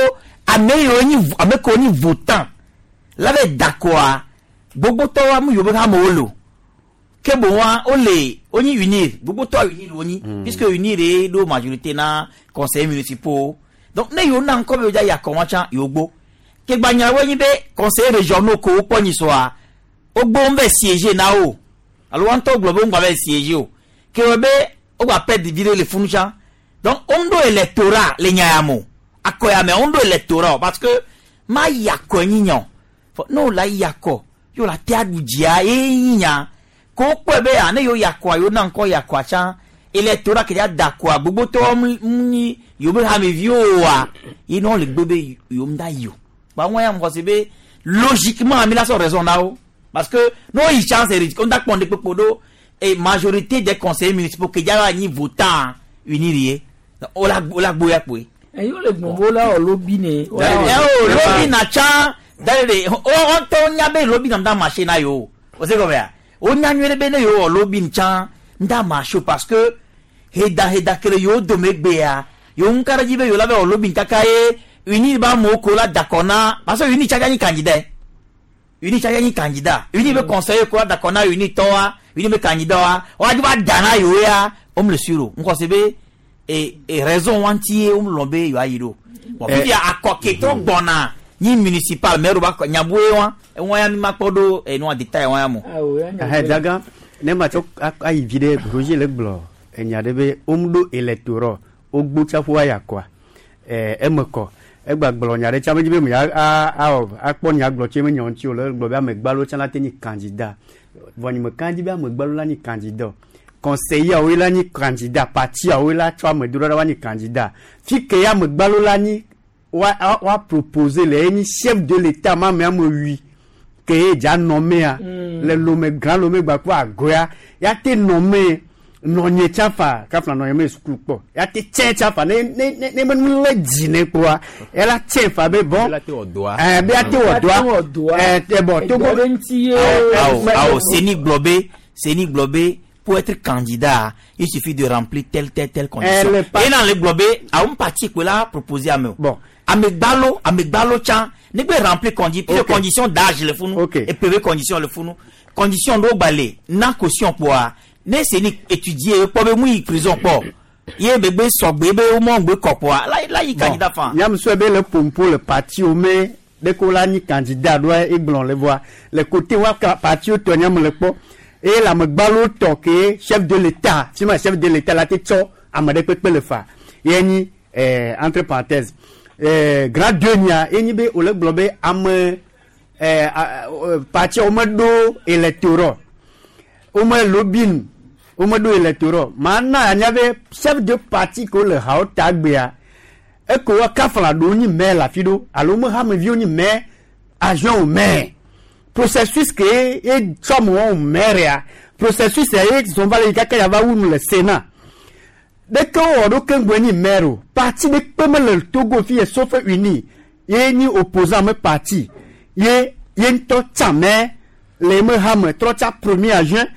ame yiwo nyi ame kewo nyi votant la be da akɔa gbogbotɔwoa mu yewo be hamewo le o ke boŋ wole wonyi unir gbogbotɔa unir wonyi puisque unir ye ɖo majorité na conseillers municipaux donc ne yewo na ŋkɔ be yewo dza yi akɔ wa tsã yewo gbó ke gbanyawoe nyi be conseillers régionaux ko wokpɔ nyi sɔa wogbo ŋu be siéger na wo alo wa ŋutɔ gblɔ be ŋgba be siéger o ke wɔ be wogba perdre vi ɖe le funu tsã donc wo ŋu ɖo électorat le nya ya me o akɔ ya me wo ŋu ɖo électorat o parce que ma yi akɔ nyi nya o fɔ ne wo la yi akɔ yewo la te aɖu dzia ye nyi nya ko wokpɔe be a ne yewo yi akɔa yewo na ŋkɔ yi akɔa tsã électorat ke dza da akɔa gbogbotɔwo mu nyi yewo be hameviwo oa ye ne wole gbe be yewo ŋu da yi o ba ŋua ya ŋgɔ si be logiquement mi la sɔ raison na wo parce que ne wo yi tsã c'est ridicule on da kpɔn de kpekpe ɖo et majorité des conseillers municipaux ke dza va nyi votant unir ye wola wola gboya kpoe. Eyi wole gbɔn bo la wɔ lobby ne. Ɛ o lobby na tsã da de o ŋutɔ nya be lobby na da marché na yewo o se gɔmea o nya nyuie ɖe be ne yewo wɔ lobby tsã da marché o parce que heda heda ke le yewo dome gbea yewo ŋu ka ɖe dzi be yewo la va wɔ lobby kaka ye unir ba amewo ko la da kɔ na parce que unir tsatsa nyi candidat unir tsatsa nyi candidat unir be conseiller ko la da kɔ na unir tɔwa unir be candidat wa woadzi va da na yewo ya wo me le sûr o ŋkɔ se be e e raison wa ŋuti ye wo lɔn be yewoa yi ɖo bon fifia akɔ ketɔ gbɔna nyi municipal maire ba kɔ nyaboe wa eŋua ya mi ma kpɔ ɖo enua détail wa ya mo. Ɛhɛ daga ne ma tsɔ ayi vi ɖe Roger le gblɔ enya ɖe be womu ɖo électorat wogbo tsaƒu ayi akɔa ɛɛ eme kɔ egba gblɔ nya ɖe tsã medzi be me ya a awɔ akpɔ nya gblɔ tso eme nya ŋuti o le gblɔ be amegbalo tsã la te nyi candidat vɔ nye me ka dzi be amegbalo la nyi candidat o conseiller wo la nyi candidat parti wo la tsɔ ame do ɖa wa nyi candidat fi ke ya amegbalo la nyi wa wa proposer le enyi chef de l'état ma ame ame wi ke ye dza nɔmea le lome grand lome gba kple agoya ya te nɔme nɔnye tsã fa kafla nɔnye me sukulu kpɔ ya te tsɛ tsã fa ne ne ne ne me nu le dzi ne kpoa ela tsɛ fa be bon ɛɛ be ya te wɔ dɔa ɛɛ tɛ bɔn togo Awo, awo, CENI gblɔ be, CENI gblɔ be, pour être candidat, il suffit de remplir telle, telle, telle condition. Elle est pas- Et dans le gblɔ be, awo parti ko la proposer ame o. Bon. Amegbalo, amegbalo tsã, ne gbe remplir condi, plusieurs conditions d'âge le funu, et puis condition le funu. Condition ɖewo gba le, na caution kpoa, ne CENI étudier, kpɔ be mu yi prison kpɔ, ye begbe sɔgbe be wo mɔ ŋgbe kɔ kpoa, la la yi candidat fan. Nyamusue be le pompo le parti wo me ɖe ko la nyi candidat ɖoa egblɔ le voa le côté wa ka parti wo tɔ nyame le kpɔ eye le amegbalo tɔ ke chef de l'état fi ma chef de l'état la te tsɔ ame ɖe kpekpe le fa ye nyi entre parenthèses grand deux nya ye nyi be wòle gblɔ be ame parti wo meɖo électorat wo me lobbying wo meɖo électorat ma na anya be chef de parti ko le hawo ta gbea eko wa kafla ɖewo nyi maire le afi ɖo alo me hameviwo nyi maire agent o maire processus ke ye tsɔ amewo wo maire ya processus ya ye zɔn va le yi kaka ya va wu nu le sénat ɖeke wowɔ ɖo keŋgbe nyi maire o parti ɖe kpe mele Togo fi ye sauf uni ye nyi opposant me parti ye ye ŋutɔ tsã maire le eme hame trɔ tsa premier adjoint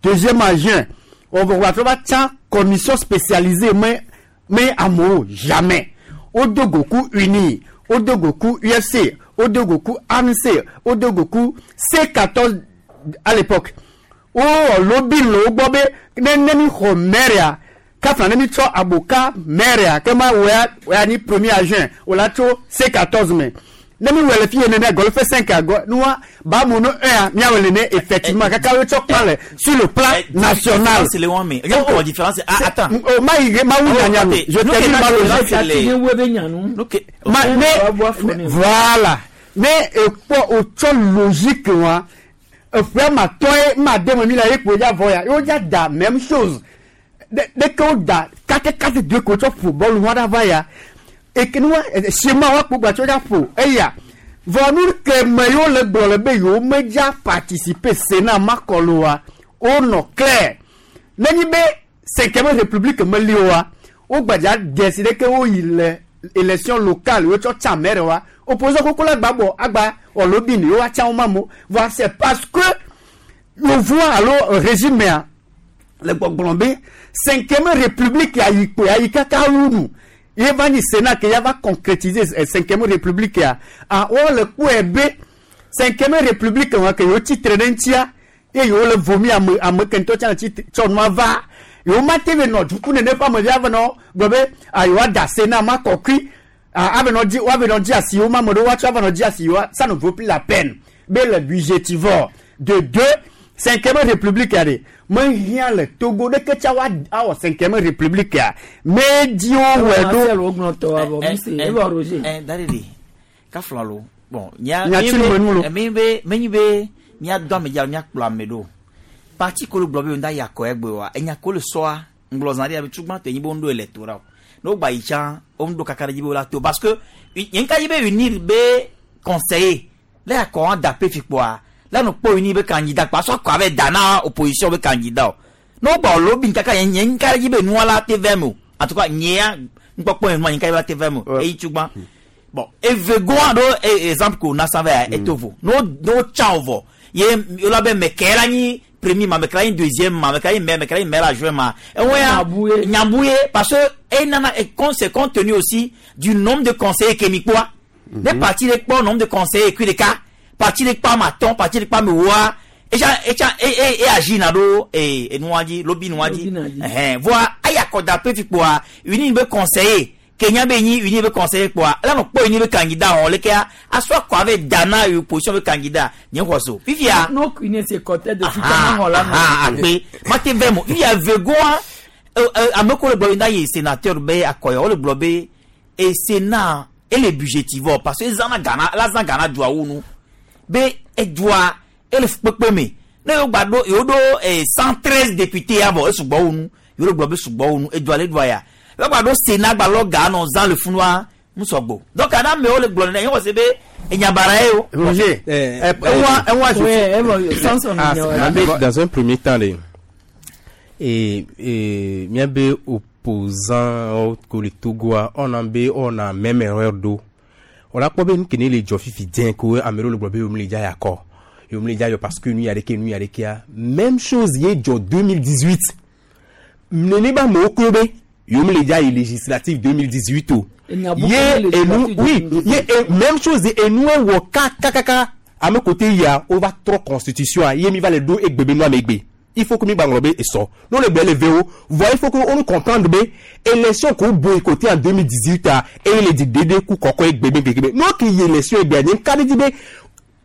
deuxième adjoint wɔvɔ wa trɔ va tsã commission spécialisée me me amewo jamais wodo goku uni wodo goku UFC. Wodo go ku ANC, wodo go ku C14 à l'époque. Wowɔ lobby le wo gbɔ be ne ne mi xɔ maire kafla ne mi tsɔ aboka maire ke ma wɔa wɔa ni premier adjoint wòla tso C14 me. Ne mi wɔ le fi ye nene golfe 5 agɔ nua ba mu no 1 miawɔ le ne effectivement kaka wo tsɔ kpa le sur le plan national. Différence le wɔn me. Yɛ kɔ différence. Ah attends. O ma yi ma wu nyanya nu. Je te dis ma logique. Ma ne voilà ne ekpɔ otsɔ logique wa eƒe ma tɔ ye ma de me mi la ye kpo dza vɔ ya ye wo dza da même chose de ke wo da kate kate de ko tsɔ ƒo bɔlu wa ɖa va ya eke nu wa schéma wa kpo gba tsɔ dza ƒo eya vɔ nu ke me yewo le gblɔ le be yewo me dza participer Sénat makɔlo wa wonɔ clair nenyi be cinquième république meli wa wo gbadza desi ɖe ke woyi le élection locale wo tsɔ tsa maire wa opposition koko la gba bɔ agba ɔlobini yewo atsa wo ma mo voa c'est parce que yevoa alo régime ya le gbɔgblɔ be cinquième république ya yi kpo ya yi kaka wu nu ye va nyi Sénat ke ya va concrétiser cinquième république ya ah wo le kpɔe be cinquième république wa ke yewo tsitre ɖe ŋutia ye yewo le vomi ame ame ke ŋutɔ tsã tsi tsɔ nua va yewo ma te ve nɔ duku nene ƒe amevi ave nɔ gblɔ be ah yewoa da Sénat ma kɔkui ah ave nɔ dzi woave nɔ dzi asi yewo ma ame ɖewo woatsɔ ave nɔ dzi asi yewoa ça ne vaut plus la peine be le budgétivore de deux cinquième république ya ɖe mehiã le Togo ɖeke tsa wa awɔ cinquième république ya me dziwo wɔe ɖo. Dadidi kafla lo bon nya mi be menyi be mia dɔ ame dza mia kplɔ ame ɖo parti ko le gblɔ be ŋda yi akɔ egbe wa enya ko le sɔa ŋgblɔ zã ɖe abe tugba tɔ enyi be ŋɖo électorat o ne wo gba yi tsã wo ŋɖo kaka ɖe dzi be wo la to parce que nye ŋka dzi be unir be conseiller le akɔ wa da pe fi kpoa la no kpɔ unir be candidat kpoa sɔ akɔ abe da na opposition be candidat o ne wo gba lobby kaka nye nye ŋka ɖe dzi be nua la te vɛ me o en tout cas nyea ŋkpɔkpɔ ye nua nye ŋka dzi be la te vɛ me o eyi tugba bon evegoa ɖo exemple ko na san vɛ etovo no no tsa o vɔ ye yola be mɛkɛ la nyi premier ma mɛkɛ la nyi deuxième ma mɛkɛ la nyi maire mɛkɛ la nyi maire adjoint ma ewoya nyabouye parce que e nana e c'est compte tenu aussi du nombre de conseillers ke mi kpɔa ne parti ɖe kpɔ nombre de conseillers kui ɖeka parti ɖe kpɔ ame atɔ̃ parti ɖe kpɔ ame woa etsa etsa e e e agi na ɖo e enua dzi lobby nua dzi ɛhɛn voa aya kɔda pe fi kpoa uni be conseiller kenya be nyi uni be conseiller kpoa ela nɔ kpɔ uni be candidat hɔn lekea asɔ akɔ ave da na opposition be candidat nye xɔ so fifia. No kune se kɔtɛ de fika ma xɔ la ma. Akpe mate vɛ mo fifia vegoa ame ko le gblɔ yi na ye sénateur be akɔyɔ wo le gblɔ be e sénat ele budgétivore parce que ezana Ghana la zã Ghana dua wu nu be edua ele kpekpe me ne yewo gba ɖo yewo ɖo 113 députés ya vɔ esugbɔ wu nu yewo le gblɔ be sugbɔ wu nu edua le dua ya yewo gba ɖo sénat gba lɔ ga nɔ zã le funua ŋusɔgbo donc ana amewo le gblɔ nene yewo se be enyabara ye o. Roger, dans un premier temps le et miabe opposant ko le Togo on a be on a même erreur do on a kpɔ be nu kene le dzɔ fifi diɛ ko ame ɖewo le gblɔ be yewo le dza yakɔ yewo le dza yɔ parce que nu ya ɖeke nu ya ɖekea même chose ye dzɔ 2018 nene ba amewo klo be yewo le dza yi législative 2018 o ye enu oui ye même chose enu wɔ kakakaka ame kote yia o va trɔ constitution a ye mi va le ɖo egbe be nu ame gbe il faut que mi gba ŋlɔ be esɔ n'o le gbe le ve wo voa il faut que on comprendre be élection ko boycotté en 2018 a eye le di dede ku kɔkɔ egbe be gbegbe n'o ke yi élection egbea nye ka ɖe dzi be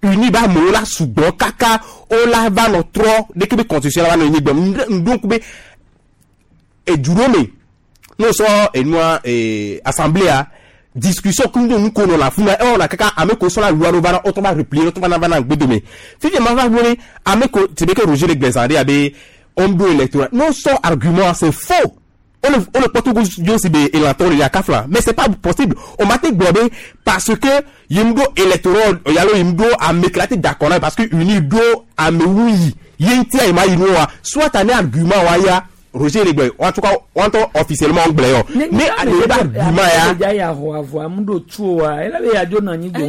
uni ba amewo la sugbɔ kaka o la va nɔ trɔ ɖeke be constitution la va nɔ nyi gbɔm ŋdó ŋku be edu ɖo me n'o sɔ enua assemblée a discussion kun do nu ko nɔ la funa e wɔna kaka ame ko sɔla loi ɖo va na wotɔ va replier wotɔ va na va na gbedome fifi ma va wele ame ko c'est bien que Roger le gbɛzan ɖe abe homme do électoral non sɔ argument c'est faux on le kpɔ Togo dzo si be elantɔ le yakafla mais c'est pas possible on m'a te gblɔ be parce que yim do électoral yalo yim do ame kla te d'accord na parce que uni do ame wu yi ye ŋutia yi ma yi nua soit ane argument wa ya. Roger le gblɔ en tout cas wɔntɔ officiellement gblɔ yɔ ne ale ba argument ya. Ya ya xɔ avɔ amu ɖo tu wa ela be yadzo nɔ anyi gbɔ.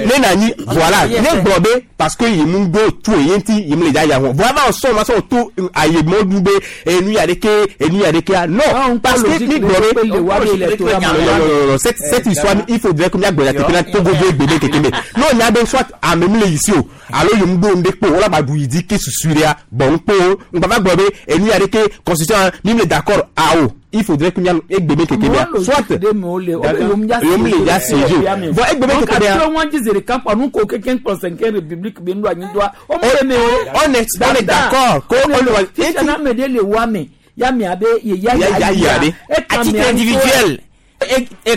Ne na anyi voilà ne gblɔ be parce que yi mu ɖo tu ye ŋuti yi mu le dza ya xɔ voa va sɔn ma sɔn to aye mɔ du be enu ya ɖeke enu ya ɖeke non parce que mi gblɔ be non non non cette cette histoire il faudrait que miagblɔ ya teƒe na Togo be gbe be keke me n'o nya be soit ame mu le yi si o alo yi mu ɖo ŋɖe kpo wala ba ɖu yi di ke susu ɖea bon ŋkpo ŋgba va gblɔ be enu ya ɖeke constitution mi mu le d'accord awo il faudrait que mia egbe be keke mea soit yom le ya siège o bon egbe be keke mea. donc wọn jí zèrè kan pa nu ko keke kplɔ cinquième république bi nu anyi doa o mu le me o. On est on est d'accord ko on le wa. sisan n'a mɛ de le wa mɛ ya mɛ a bɛ ye ya ya ya de. À titre individuel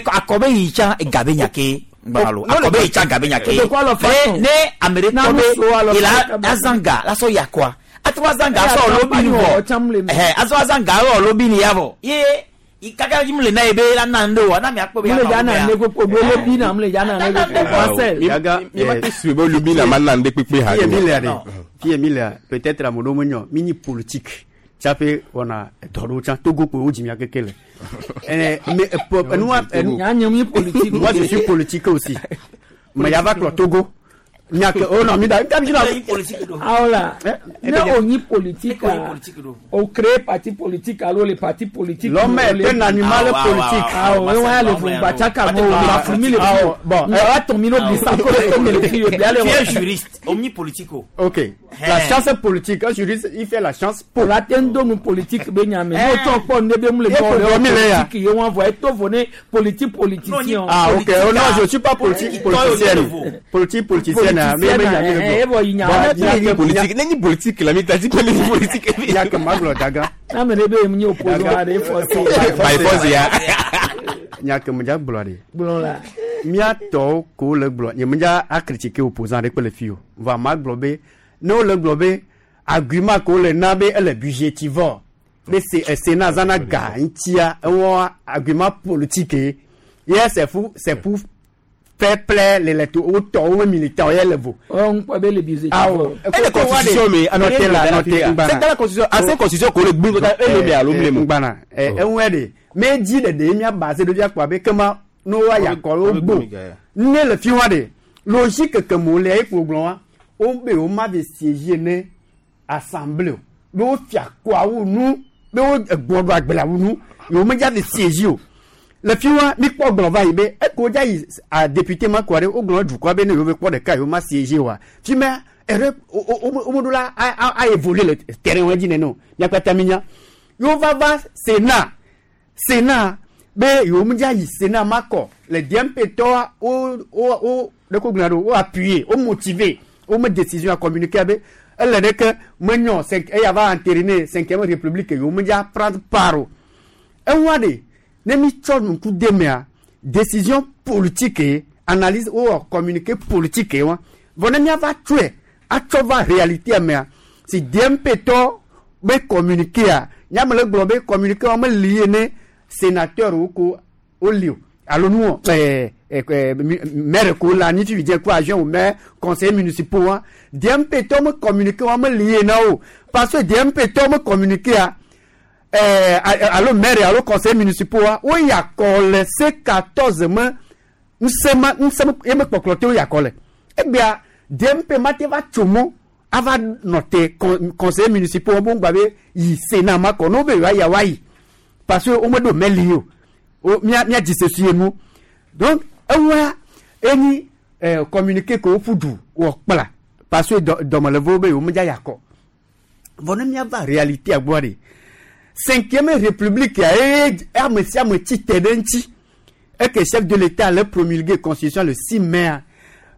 akɔbe yi tsã egabe nya ke gbalo akɔbe yi tsã gabe nya ke ne ne ame ɖe tɔ be yi la azã ga la sɔ yakɔa atrɔ azã ga sɔ ɔlɔ bi ni vɔ ɛhɛ azɔ azã ga sɔ ɔlɔ bi ni ya vɔ ye kaka yi mu le na ye be la na ŋɖe o na mi akpɔ be ya na na ŋɖe kpekpe o lobi na mu le ya na ŋɖe kpekpe Marcel. Mi ma te su be lobi na ma na ŋɖe kpekpe ha. Fiye mi lea ɖe fiye mi lea peut-être ame ɖewo menyɔ mi nyi politique tsaƒe wɔna edɔ ɖewo tsã Togo kpoe wodzi mia keke le. Mais nya nye mi politique. Moi je suis politique aussi. Mais ya va kplɔ Togo. Nya ke o nɔ mi da nka mi na. Awo la ne o nyi politique o créé parti politique alo le parti politique. L'homme est un animal politique. Awo e wa le fún gbàtsaka mo o ma fún mi le fi. Bon ẹ wa tɔn mi n'o bi sa ko le mi le fi o bi ale wa. Tu es juriste o mi politique o. Ok la chance politique un juriste il fait la chance pour. La tɛ ń donu politique bɛ ɲamɛ n'o tɔn kpɔ ne bɛ mun le bɔ le politique ye wọn fɔ e to fo ne politique politicien. Ah ok oh non je suis pas politique politicienne politique politicienne. Politique ne ni politique la mi ta ti ko ne ni politique. Ya ke ma gblɔ daga. N'ame ɖe be ye mu nye opposant aɖe force. By force ya. Nya ke me dza gblɔ ɖe. Gblɔ la. Mía tɔwo ko le gblɔ nye me dza a critiquer opposant ɖe kpe le fi o. Va ma gblɔ be ne wole gblɔ be argument ko le na be ele budgétivore be Sénat zana ga ŋutia ewɔ argument politique ye c'est pour c'est pour faire plaire les lecteurs tɔwo militants ye le vo. Ɔ n kpɔ be le budgétivore. Awɔ ele constitution mi anɔte la anɔte ngbana. C'est dans la constitution ancienne constitution ko le gbin kota ele mi alo mi le mu. Ngbana ɛ eŋu de me dzi ɖeɖe mía base ɖo fia kpɔ abe kema ne wa yakɔ wo gbo ne le fi wa de logique ke mo le ekpo gblɔ wa wo be wo ma be siéger ne assemblée o be wo fia kɔawo nu be wo egbɔ ɖo agbleawo nu yewo me dza be siéger o le fi wa mi kpɔ gblɔ va yi be eko dza yi a député ma kɔ ɖe wo gblɔ dukɔa be ne yewo be kpɔ ɖeka yewo ma siéger wa fi mea erreur wo me ɖo la a a évoluer le terrain wa dzi nene o miakpata mi nya yewo va va Sénat Sénat be yewo me dza yi Sénat ma kɔ le DMP tɔa wo wo wo ɖeko gblɔna ɖo wo appuyer wo motiver wo me décision a communiquer be ele ɖe ke menyɔ eya va entériner cinquième république yewo me dza prendre part o eŋua ɖe ne mi tsɔ ŋku de mea décision politique ye analyse wowɔ communiqué politique ye wa vɔ ne miava tsɔe atsɔ va réalité mea si DMP tɔ be communiqué a nyame le gblɔ be communiqué wa meli ye ne sénateur wo ko woli o alo nu ɛɛ maire ko la anyi fifi dze ko agent o maire conseiller municipaux wa DMP tɔ me communiqué wa meli ye na o parce que DMP tɔ me communiqué a alo maire alo conseiller municipaux wa wo yakɔ le C14 me ŋusẽ ma ŋusẽ ye me kpɔkplɔ te wo yakɔ le egbea DMP ma te va tso mɔ ava nɔ te conseiller municipaux wo ŋgba be yi Sénat ma kɔ n'o be yewoa ya wa yi parce que wo me ɖo mɛli o o mia mia dzi ye nu donc eŋua enyi communiqué ko woƒu du wɔ kpla parce que dɔmelevowo be yewo me dza yakɔ vɔ ne miava réalité gbɔ de cinquième république ya eye ame sia ame tsi te ɖe ŋuti eke chef de l'état le promulgué constitution le 6 mai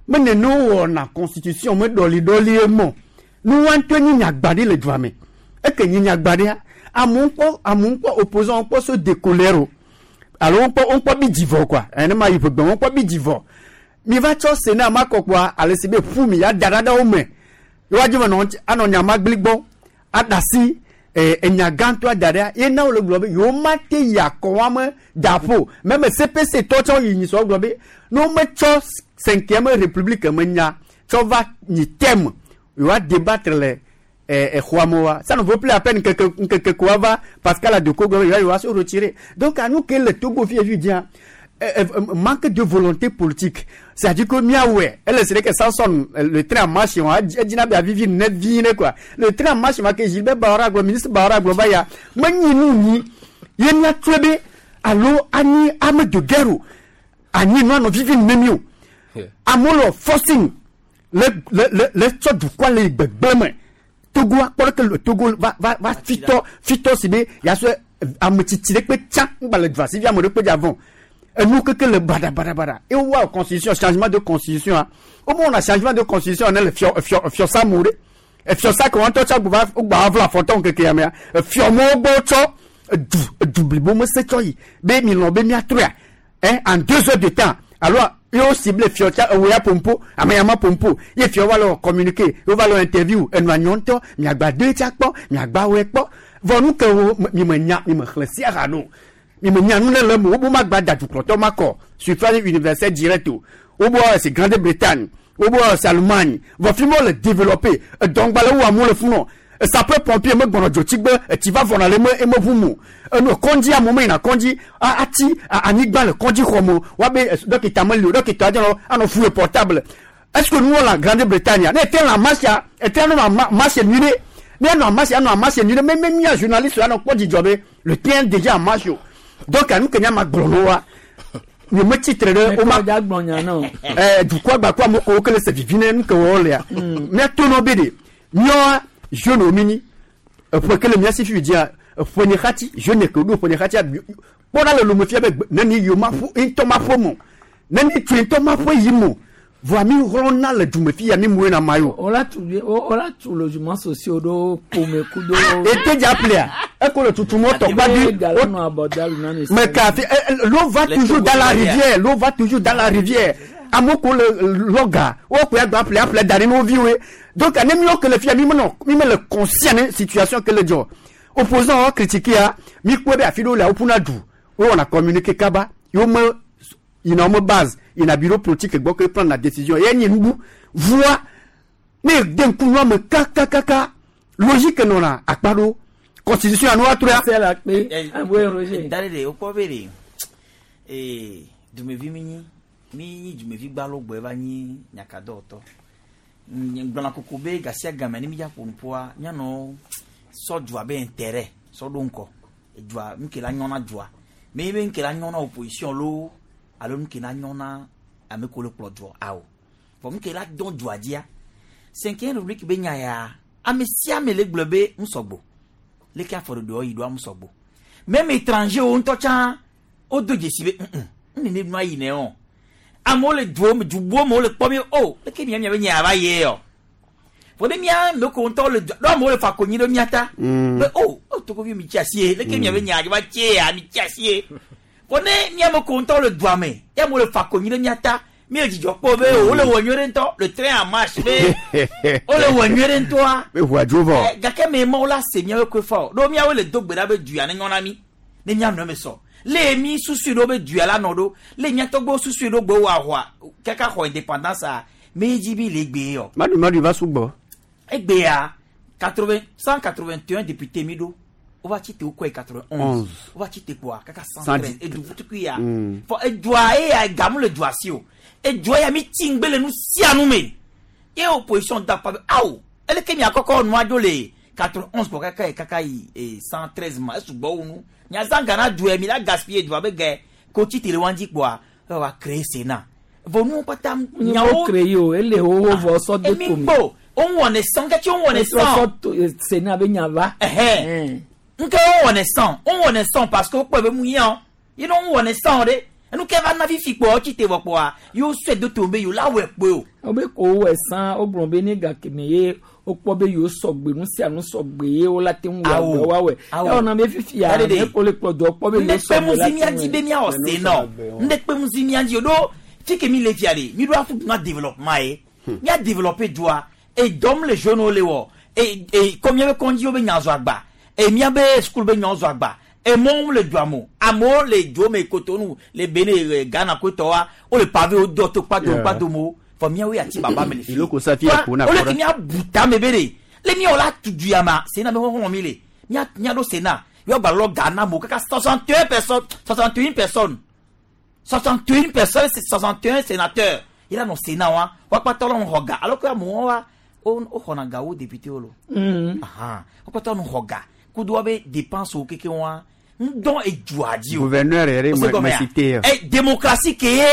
mene ne wɔna constitution me ɖɔliɖɔli ye mɔ nu wa ŋutɔ nyi nyagba ɖi le dua me eke nyi nyagba ɖia amewo kpɔ amewo kpɔ opposant kpɔ so décollère o alo wokpɔ wokpɔ bi dzivɔ quoi ene ma yi ƒegbe wokpɔ bi dzivɔ mi va tsɔ Sénat ma kɔ kpoa ale si be ƒu mi ya da ɖa ɖe wo me yewoa dzi me nɔ anɔ nyama gli gbɔ aɖasi enya gãtɔ da ɖea ye na wole gblɔ be yewo ma te yi akɔ wa me da ƒo meme CPC tɔ tsɔ yi nyisɔ gblɔ be ne wo metsɔ cinquième république me nya tsɔ va nyi thème yewoa débattre le Exɔa me wa ça ne vaut plus la peine nkeke nkeke ko va Pascal Adoko gblɔ be yewoa se retirer. Donc anu ke le Togo fi evi dia manque de volonté politique. C'est-à-dire que miawɛ ele se ɖe ke Samson le train en marche wa edzina be avivi ne vi ne quoi. Le train en marche ma ke Gilbert Bahora gblɔ ministre Bahora gblɔ va ya menyi nu nyi ye miatrɔe be alo anyi ame de guerre o anyi nua nɔ vivi ne mi o. Amewo le forcing le le le le tsɔ dukɔa le yi gbegblẽ me. Togo akpɔ ɖeke le Togo va va va fitɔ fitɔ si be yasɔ ame tsitsi ɖe kpe tsã ŋgba le dua si vi ame ɖe kpe dza vɔn. Enu keke le baɖa baɖa baɖa. Ye wowɔ constitution changement de constitution a wo me wɔna changement de constitution ne le fiɔ fiɔ fiɔsa me o ɖe. Efiɔsa ke wɔn ŋutɔ tsɔ gba wogba va vla afɔtɔ ŋkeke ya mea efiɔ mewo gbɔ tsɔ edu edu blibo me se tsɔ yi be mi lɔn be miatrɔea hein, en 2 heures de temps alo ye wo ciblé fiɔ tsa ewo ya pompo ame ya ma pompo ye fiɔ va le communiquer ye va le interview enua nyɔ ŋutɔ miagba doe tsa kpɔ miagba wɔe kpɔ vɔ nu ke wo mi me nya mi me xlẽ sia ha no mi me nya nu ne le eme wobo ma gba da dukplɔtɔ ma kɔ suffrage universel direct o wobo c'est Grande-Bretagne wobo c'est Allemagne vɔ fi ma wo le développer edɔŋgba le wo amewo le funɔ sapeur pompier me gbɔnɔ dzotsigbe etsi va vɔna le eme eme ʋu mo enu kɔndzi amewo me yina kɔndzi atsi anyigba le kɔndzi xɔ me woabe dɔkita meli o dɔkita dze nɔ anɔ fouiller portable est-ce que nuwo le Grande-Bretagne ne ete le marche ete anɔ marche nyui ɖe ne anɔ marche anɔ marche nyui ɖe me me mia journaliste anɔ kpɔ dzidzɔ be le train déjà en marche o donc anu ke nya ma gblɔ no wa nye me tsitre ɖe wo ma dukɔa gba kó amewo ko ke le se vivi ne nu ke wɔ lea mia to nɔ be ɖe míawoa jeune wo mi nyi eƒe ke le mía si fifi dzia eƒe nye xati jeune ke ɖo ƒe nye xatia kpɔ ɖa le lome fia be neni yiwo ma ƒo ŋutɔ ma ƒo mo neni tsoe ŋutɔ ma ƒo yi mo vɔa mi hlɔna le dume fi ya mi mue na ma yo. Wola tu wola tu logement sociaux ɖo ƒome kudo. Ete dza ƒlea eko le tutu mɔ tɔ kpa di. Mais kafi l'eau va toujours dans la rivière, l'eau va toujours dans la rivière. Amewo ko le lɔga wo ko ya gba ƒle aƒle da ɖi ne wo viwoe. Donc ne míawo ke le fia mi menɔ mi mele conscient ne situation ke le dzɔ. Opposant wa critiquer ya mi kpɔe be afi ɖewo lea woƒuna du wowɔna communiqué kaba yewo me yina wo me base yina bureau politique gbɔ ke prendre la décision ye nyi nubu voa ne de ŋku nua me kakakaka logique nɔna akpa ɖo constitution ya nu woatrɔa. Da ɖe ɖe wokpɔ be ɖe ee dumevi mi nyi mi nyi dumevi gbalo gbɔe va nyi nyakadɔwɔtɔ gblɔna koko be gasia game ne mi dza ƒo nuƒoa mianɔ sɔ dua be intérêt sɔ ɖo ŋkɔ dua nu ke la nyɔ na dua me be nu ke la nyɔ na opposition lo alo nu ke la nyɔ na ame ko le kplɔ dua awo vɔ nu ke la dɔn dua dzia cinquième république be nya ya ame sia ame le gblɔ be ŋusɔgbo leke afɔ ɖeɖewo yi ɖoa ŋusɔgbo même étranger wo ŋutɔ tsã wodo dzesi be n nene nua yi ne o amewo le duwo me dubuwo me wole kpɔ mi o leke mia mia be nya va ye o vɔ ne mia me ko ŋutɔ le dua ɖo amewo le fa konyi ɖe mia ta be o o togovi mi tsi asi ye leke mia be nya va tse ya mi tsi asi ye vɔ ne mia me ko ŋutɔ le dua me ya amewo le fa konyi ɖe mia ta mi le dzidzɔ kpɔ be wole wɔ nyuie ɖe ŋutɔ le train en marche be wole wɔ nyuie ɖe ŋutɔa be ʋua dzo vɔ. Gake me mawo la se miawo koe fa o ɖo miawo le do gbe ɖa be duya ne nyɔ na mi ne mia nɔ eme sɔ le mi susui ɖo be duya la nɔ ɖo le mia tɔgbewo susui ɖo gbe wɔ ahua kaka xɔ indépendance a me dzi bi le gbe yɔ. Madu madu va sugbɔ. Egbea 80 181 député mi ɖo wova tsi te wokɔe 91 wova tsi te kpoa kaka 113 edu tukui ya fɔ edua eya gamu le dua si o edua ya mi tsi ŋgbe le nu sia nu me ye opposition da pa be awo eleke mia kɔkɔ nua dzo le 91 kɔ kaka yi kaka yi 113 ma esugbɔ wu nu miazã gana dua mi la gaspiller dua be gɛ ko tsi te le wa dzi kpoa wa créer sénat vɔ nuwo kpata nyawo créer o ele wo vɔ sɔ de emi kpo wo wɔne sɔn kɛtɛ wo wɔne sɔn sénat be nya va. Nke wo wɔne sɔn wo wɔne sɔn parce que wokpɔ be mu yã yi ne wo wɔne sɔn ɖe enu ke va na fifi kpɔ tsi te vɔ kpɔa yewo sɔe do to be yewo la wɔe kpoe o. Wo be ko wowɔe sã wogblɔ be ne gake me ye wokpɔ be yewo sɔgbe nu sia nu sɔgbe ye wola te ŋu wɔ agbe woawɔe. Ewɔna be fifia ne ko le kplɔ dɔ kpɔ be yewo sɔgbe la te ŋu. Ŋɖe kpe ŋu si mía dzi be míawɔ sénat ŋɖe kpe ŋu si mía dzi o ɖo fi ke mi le fia ɖe mi ɖo afu na développement ye mía développer dua edɔm le jeune wo le wɔ e e kɔ míabe kɔndzi wo be nya zɔ agba e míabe school be nyawo zɔ agba emɔwo le dua me amewo le dzo me Cotonou le Benin Ghana kotɔwa wole pavé wo dɔ to kpadom kpadom wo fɔ míawo ya ti baba me le fi Iloko sa fi ya ko na wole kɔrɔ. ke míabu tame be ɖe Le miawo la tu du ya ma, Sénat be xɔxɔ mi le. Mia mia ɖo Sénat. Yɔ gba lɔ ga na mo kaka 61 personnes, 61 personnes. 61 personnes, c'est 61 sénateurs. Il a non Sénat wa. Wa kpata lɔ xɔ ga. Alors que amewo wa wo xɔna ga wo député wo lo. Ahan. Wo kpata lɔ xɔ ga. Kudo wa be dépense wo keke wa. Ŋdɔn edzua dzi o. Gouverneur yɛrɛ O se gɔmɛ me ya? cité. Eh, démocratie ke ye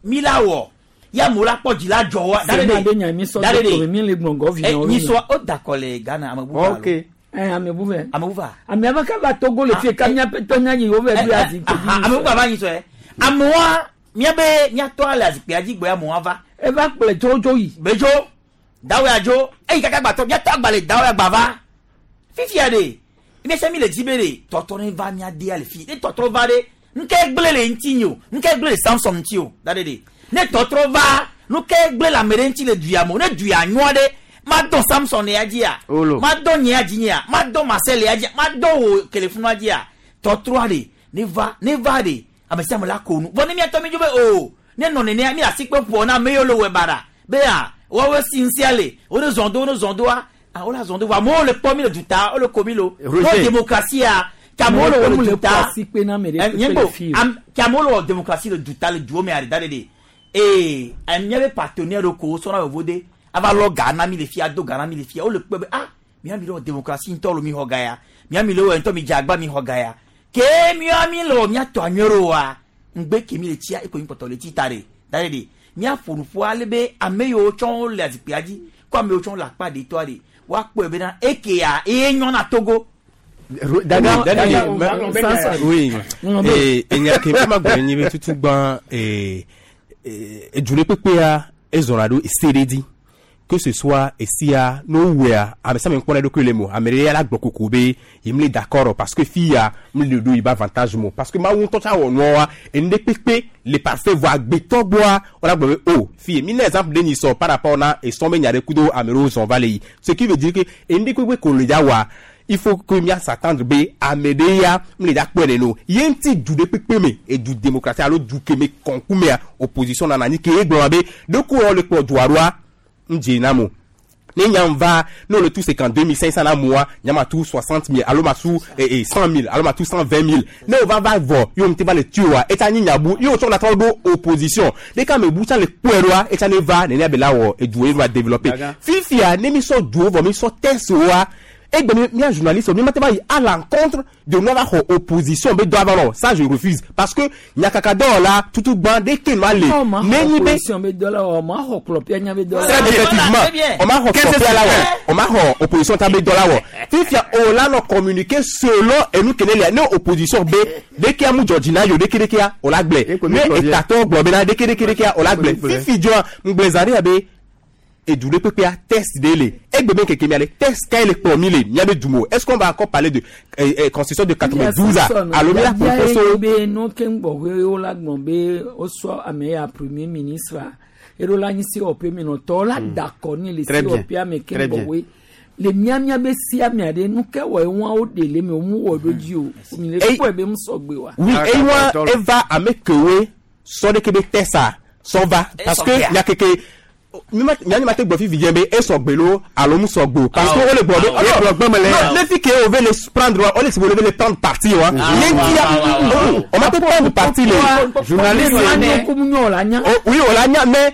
mi la wɔ. Ya mo la kpɔ dzi la dzɔ wa. Sénat be nya mi sɔ Dale do de. tome mi le gblɔ gɔvi Eh, na wo nyi mi. sɔ o dakɔ le Ghana ame bubu alo. Ok. Eh, ame bu vɛ. Ame bu va. Ame ava kava Togo le fie ka miaƒe tɔ nya yi wo vɛ ɖo azikpui dzi. Ame bubu ava nyi sɔ yɛ. Amewoa miabe miatɔ le azikpuia dzi gbɔ ya amewoa va. Eva kplɔe tso tso yi. Bedzo dawe adzo eyi kaka gbatɔ miatɔ agba le dawe agba va. Fifia de miasia mi le dzi be de tɔtrɔ ne va mia dea le fi ne tɔtrɔ va de nuke gblẽ le ŋuti nye o nuke gblẽ le Samson ŋuti o da de de ne tɔtrɔ va nuke gblẽ le ame ɖe ŋuti le duya me o ne duya nyɔa ɖe ma dɔn Samson ya dzia Olo. ma dɔn nye ya dzi nyea ma dɔn Marcel ya dzia ma dɔn wo kelefunua dzia tɔtrɔa de ne va ne va de ame sia ame la ko nu vɔ ne miatɔ mi dzo be o ne nɔ nenea mi le asi kpe ƒo na ame yiwo le wɔ baɖa be a woawoe si ŋusia le wo ne zɔn do wo ne zɔn doa ah wo la zɔn do vɔ amewo le kpɔ mi le duta wo le ko mi lo Roger. no démocratie ke amewo le wɔ le duta asi kpe na ame ɖe Eh, kpekpe nye le ko fi o. ke amewo le wɔ démocratie le duta le duwo me aɖe da ɖe de ee miabe partenaire ɖewo ko wosɔna yevo de ava lɔ ga na mi le fia do ga na mi le fia wole kpɔ be ah miami le wɔ démocratie ŋutɔ lo mi xɔ ga ya miami le wɔ ŋutɔ mi dze agba mi xɔ ga ya ke miami le wɔ miatɔ anyuie ɖo wa ŋgbe ke mi le tsia eko mi kpɔtɔ le tsi ta ɖe da ɖe de miaƒo nuƒo ale be ame yiwo tsɔ wo le azikpuia dzi ko ame yiwo tsɔ wo le akpa ɖetɔa ɖe woakpɔe bena ekea eye nyɔna Togo. Dani, Dani, Samson. oui. Non, mais- Eh, enya ke ma gblɔ nyi be tutu gbã eh, eh, edu ɖe kpekpea ezɔna ɖo ese ɖe dzi que ce soit esia ne wowɔea ame sia ame kpɔna eɖokui le mo ame ɖe ya la gblɔ koko be ye mle d'accord parce que fia mle ɖo yibe avantage mo parce que mawu ŋutɔ tsa wɔ nua enu ɖe kpekpe le parfait vɔ agbetɔ gbɔa wala gblɔ be oh fie mi na exemple ɖe nyi sɔ par rapport na esɔn be nya ɖe kudo ame ɖewo zɔn va le yi ce qui veut dire que enu ɖe kpekpe ko le dza wɔa il faut que mia s'attendre be ame ɖe ya mle dza kpɔe nene o ye ŋuti du ɖe kpekpe me edu démocratie alo du ke me kɔnkumea opposition nana anyi ke ye gblɔna be ɖeko wɔ le kplɔ dua ɖoa ŋdze na mo ne nyam va ne wole tu 52 500 na moa nyama tu 60 000 alo ma tu eh, eh, 100 000 alo ma tu 120 000 ne wova va vɔ ye wòm te va le tu wa etsa nyi nyabu ye wòtsɔ la trɔ ɖo opposition ɖeka me bu tsa le kpɔe ɖoa etsa ne va nenea be la wɔ eduwo ye va développer Daga. fifia ne mi sɔ duwo vɔ mi sɔ test wa egbe mi mia journaliste mi ma te va yi à l'encontre de nua va xɔ opposition be dɔ ava nɔ ça je refuse parce que nyakaka dɔwɔla tutu gbã ɖeke nua le Ɔ, ma xɔ ne nyi be opposition be dɔ la wɔ, ma xɔ kplɔpia nya be dɔ la très wɔ. bien effectivement on m'a xɔ kplɔpia la wɔ on m'a xɔ opposition ta be dɔ la wɔ fifia o la nɔ communiquer selon enu kene lia ne opposition be ɖekea mu dzɔ dzi na yo ɖeke ɖekea o la gblẽ Eko mi ne kplɔ bia. etatɔ gblɔ bena ɖeke ɖeke ɖekea o la gblẽ Eko mi kplɔe. fifi dzɔa ŋgblẽ zã ɖe ya be edu ɖe kpekpea test ɖe le egbe be keke mia le test ka ye le kplɔ mi le miabe du me o est ce qu'on va encore parler de eh, eh, constitution de 92 a alo mi la Bia propose ye be nu ke ŋgbɔƒe wo la gblɔ be wosɔ ame ya premier ministre a, eɖo la nyi COP menɔtɔ la da akɔ ni le Très bien. COP ame ke Très bien. ŋgbɔƒe le miamia be sia mia ɖe nu ke wɔ eŋua wo ɖe le me wo mu wɔ ɖo dzi o mi le Ey- kpɔe be mu sɔgbe wa. oui Ah, eyi wa d'accord. eva ame kewoe sɔ ɖeke be test a sɔ va parce que sɔgbea. nyakeke mianyi ma te gbɔ fifi dze be esɔgbe lo alo mu sɔgbe o parce que Ah, wole gbɔ be ah, oh, gblɔ gbeme le ya. non ne fi ke wo ve le prendre wa wole si wo le ve le prendre parti wa ye ŋutia ah, o ma te prendre parti le Journaliste Anya kum nyɔ la nya. Oh, oui o la nya mais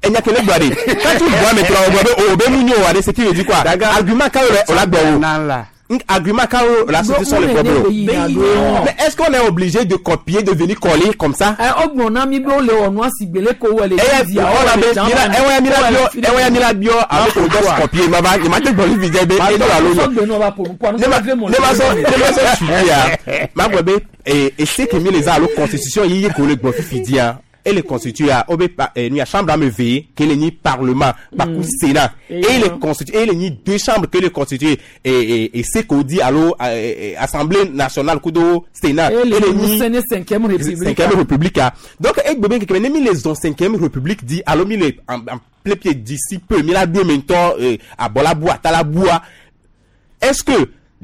enyakele gblɔ de quand tu vois maintenant o gbɔ be o be mu nyo wa de ce qui veut dire quoi Daga. argument ka wo le o la gbɔ o Nan la. argument ka wo la société sɔ le gbɔ be o mais est-ce qu'on est obligé de copier de venir coller comme ça. Ɛ ɔgbɔn na mi be wo le wɔ nua si gbele ko wɔ le. eya India, ɔna wɔ be le Germany, mila ewɔya mila wɔ le biɔ Philippines. ewɔya mila biɔ alo ko dɔ copier ma va ma te gbɔ fifi dze be edo alo nyɔ Sɔgbe nɔ va ƒo nu ƒo ne ma ne ma sɔ ne ma sɔ suivi ya ma gbɔ be ee ese ke mi le za alo constitution yi ye ko le gbɔ fifi dia ele constitue ya o be pa eh, nu ya chambre ame ve ke le nyi parlement kpaku sénat Et et le non. constitue et le nyi deux chambres ke le constitue et et et ce ko di alo eh, eh, assemblée nationale kudo sénat Et le le nyi Mousséné cinquième république. cinquième république ah. Donc egbe be keke ne mi les zon cinquième république di alo mi le en en plein pied d'ici peu mi la do mentɔ eh, abɔla atala bua est-ce que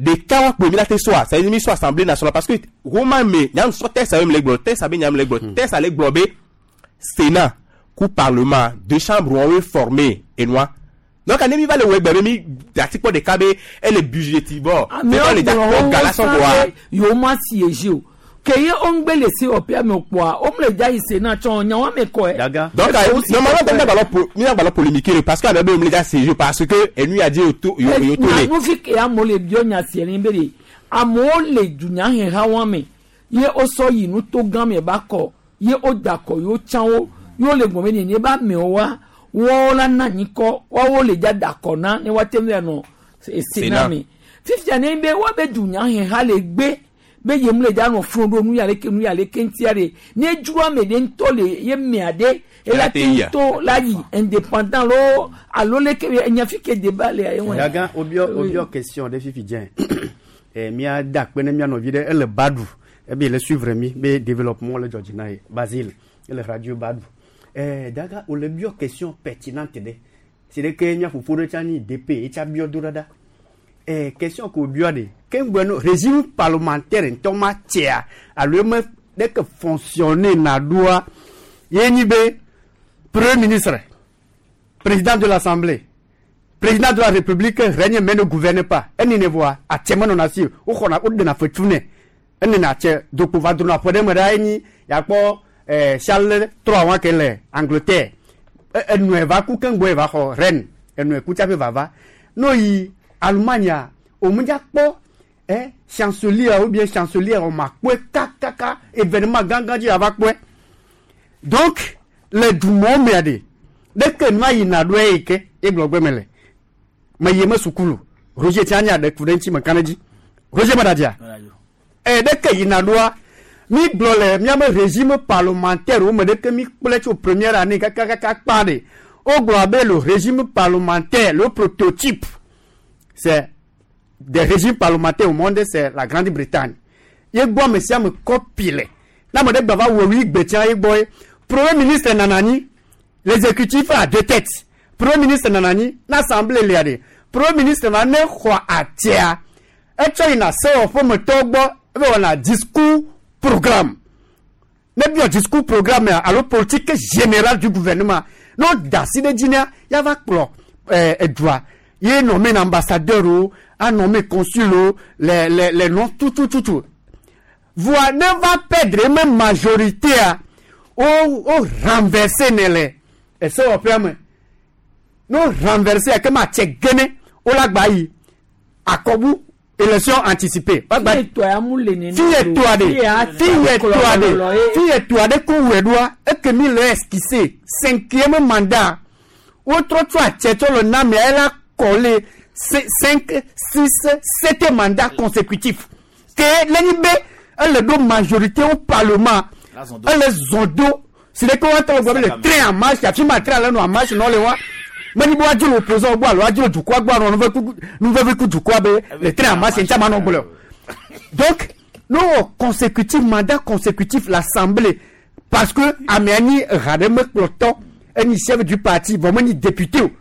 ɖeka wa kpe mi la te sɔa ça veut dire mi sɔ assemblée nationale parce que roman me nyanu sɔ texte abe mi le gblɔ texte abe nyanu le gblɔ texte ale gblɔ be sénat ku parlement deux chambres wɔn we formé enua Donc ne mi va le wɔ egbe be mi dati kpɔ ɖeka be ele budgétivore. Amewo le gblɔ kpɔ ga la wo sɔ kɔa. be yewo ma siéger o. Ke ye wo ŋgbe le sewɔƒea me o kpoa, wo mle dza yi Sénat tsɔ nya wo ame kɔe. Donc, normalement, mi agbalɔ polémiquer parce que ame be mi le dza siéger parce que enu ya di yo to yo yo to le. Nufi ke amewo le biɔ nya sie ni be de amewo le dunyaheha wa me ye wosɔ yi nuto gã me ba kɔ ye woda kɔ yewo tsã wo ye wole gbɔn be nene ba amewo wa wɔwo la na anyi kɔ woawo le dza da kɔ na ne woate ŋu anɔ Sénat me. Fifia ne be woabe dunyaheha le gbe be yem le dza nɔ funu ɖo nu ya leke nu ya leke ŋutia ɖe ne dzro ame ɖe ŋutɔ le ye mea ɖe ela te ŋutɔ la yi indépendant lo alo leke enya fi ke débat le ye wɔe. Daga obiɔ question ɖe fifi dze mía da akpe ne mía nɔvi ɖe ele Badu ebe le suivre mi be développement le dzɔdzi na ye Basile ele radio Badu daga wòle biɔ question pertinente ɖe si ɖe ke mía fofo ɖe tsã nyi DP etsa biɔ do ɖaɖa question ko biɔ ɖe ke ŋgbɛ no régime parlementaire ŋutɔ ma tsea alo eme ɖe ke fonctionner na ɖoa ye nyi be premier ministre, président de l'assemblée, président de la république règne mais ne gouverne pas. Eni ne voa atse me nɔna si woxɔna woɖena fetu nɛ enena atse dokpo va dona ƒe ɖe me ɖa enyi yakpɔ Charles III wa ke le Angleterre enɔe va ku keŋgbɔe va xɔ reine enɔe ku tsaƒe vava no yi Allemagne omudza kpɔ chancelier ou bien chancelier o ma kpɔe kakaka événement gãgã dzi ava kpɔe. Donc le dumɔ mea ɖe ɖeke nua yina ɖo eyi ke egblɔ gbe me le me yi me sukulu Roger tia nya ɖe ku ɖe ŋuti me kan ɖe dzi Roger me ɖadzia ɖeke yina ɖoa mi gblɔ le miabe régime parlementaire wo me ɖeke mi kplɔe tso première année kakakaka kpa ɖe wogblɔ abe le régime parlementaire, le prototype c'est des régimes parlementaires au monde, c'est la Grande-Bretagne. Ye gbɔ ame sia ame kɔpi le ne ame ɖe gba va wɔ wi gbetsia ye gbɔ ye premier ministre nana anyi, l'exécutif a deux têtes, premier ministre nana anyi n'assemblée lia ɖe premier ministre ma ne xɔ atia etsɔ yina sewɔƒemetɔwo gbɔ ebe wɔna discours programme ne biɔ discours programme ya alo politique générale du gouvernement ne wo da asi ɖe dzi nea yava kplɔ edua ye nommé ambassadeur o a nommé consul o les noms tout tout tout tout voa ne va perdre même majorité a o renverser ne le esewɔƒea me ne o renverser ya ke ma tse gene o la gba yi akɔbu élection anticipée. Fiye tɔa ya mu le nene. Fiye tɔa de fiye tɔa de fiye tɔa de ko wɛ ɖoa eke mi le esquissé cinquième mandat wotrɔ tso atsɛtsɔ le namia ela kɔle 5 6 7 mandats consécutifs ke lenyi be ele ɖo majorité au parlement ele zɔn do si ɖe ke woatɔ le gbɔ be le train en marche afi ma train le nɔ en marche nɔ le wa menyi be woadzo le opposant gbɔ alo woadzo le dukɔa gbɔ anɔ nuvevi ku dukɔa be le train en marche ŋuti ama nɔ gblɔ o. Donc no consécutif mandat consécutif l'assemblée parce que amea nyi ha ɖe mekplɔtɔ enyi chef du parti vɔ menyi député o.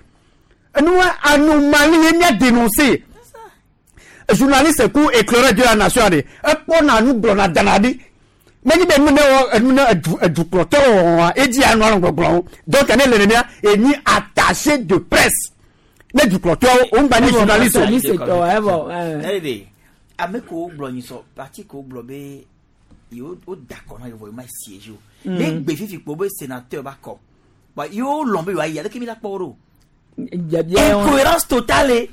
Enua anomalie ye mía dénoncer. Journaliste ku éclaireur de la nation ɖe ekpɔna nu gblɔna dana ɖi menyi be nu ne wɔ enu ne edu edukplɔtɔ wɔa edzi anɔ anɔ gbɔgblɔwo donc ne le nenea enyi attaché de presse ne dukplɔtɔwo wo ŋgba nyi journaliste o. Journaliste tɔ evɔ. Ɛyɛ ame ko gblɔ nyi sɔ parti ko gblɔ be yewo wo da kɔ na yewo ma siège o. Ne gbe fifi kpo be sénateur ba kɔ ba yewo lɔn be yewoa yi aleke mi la kpɔ wo ɖo. Incohérence totale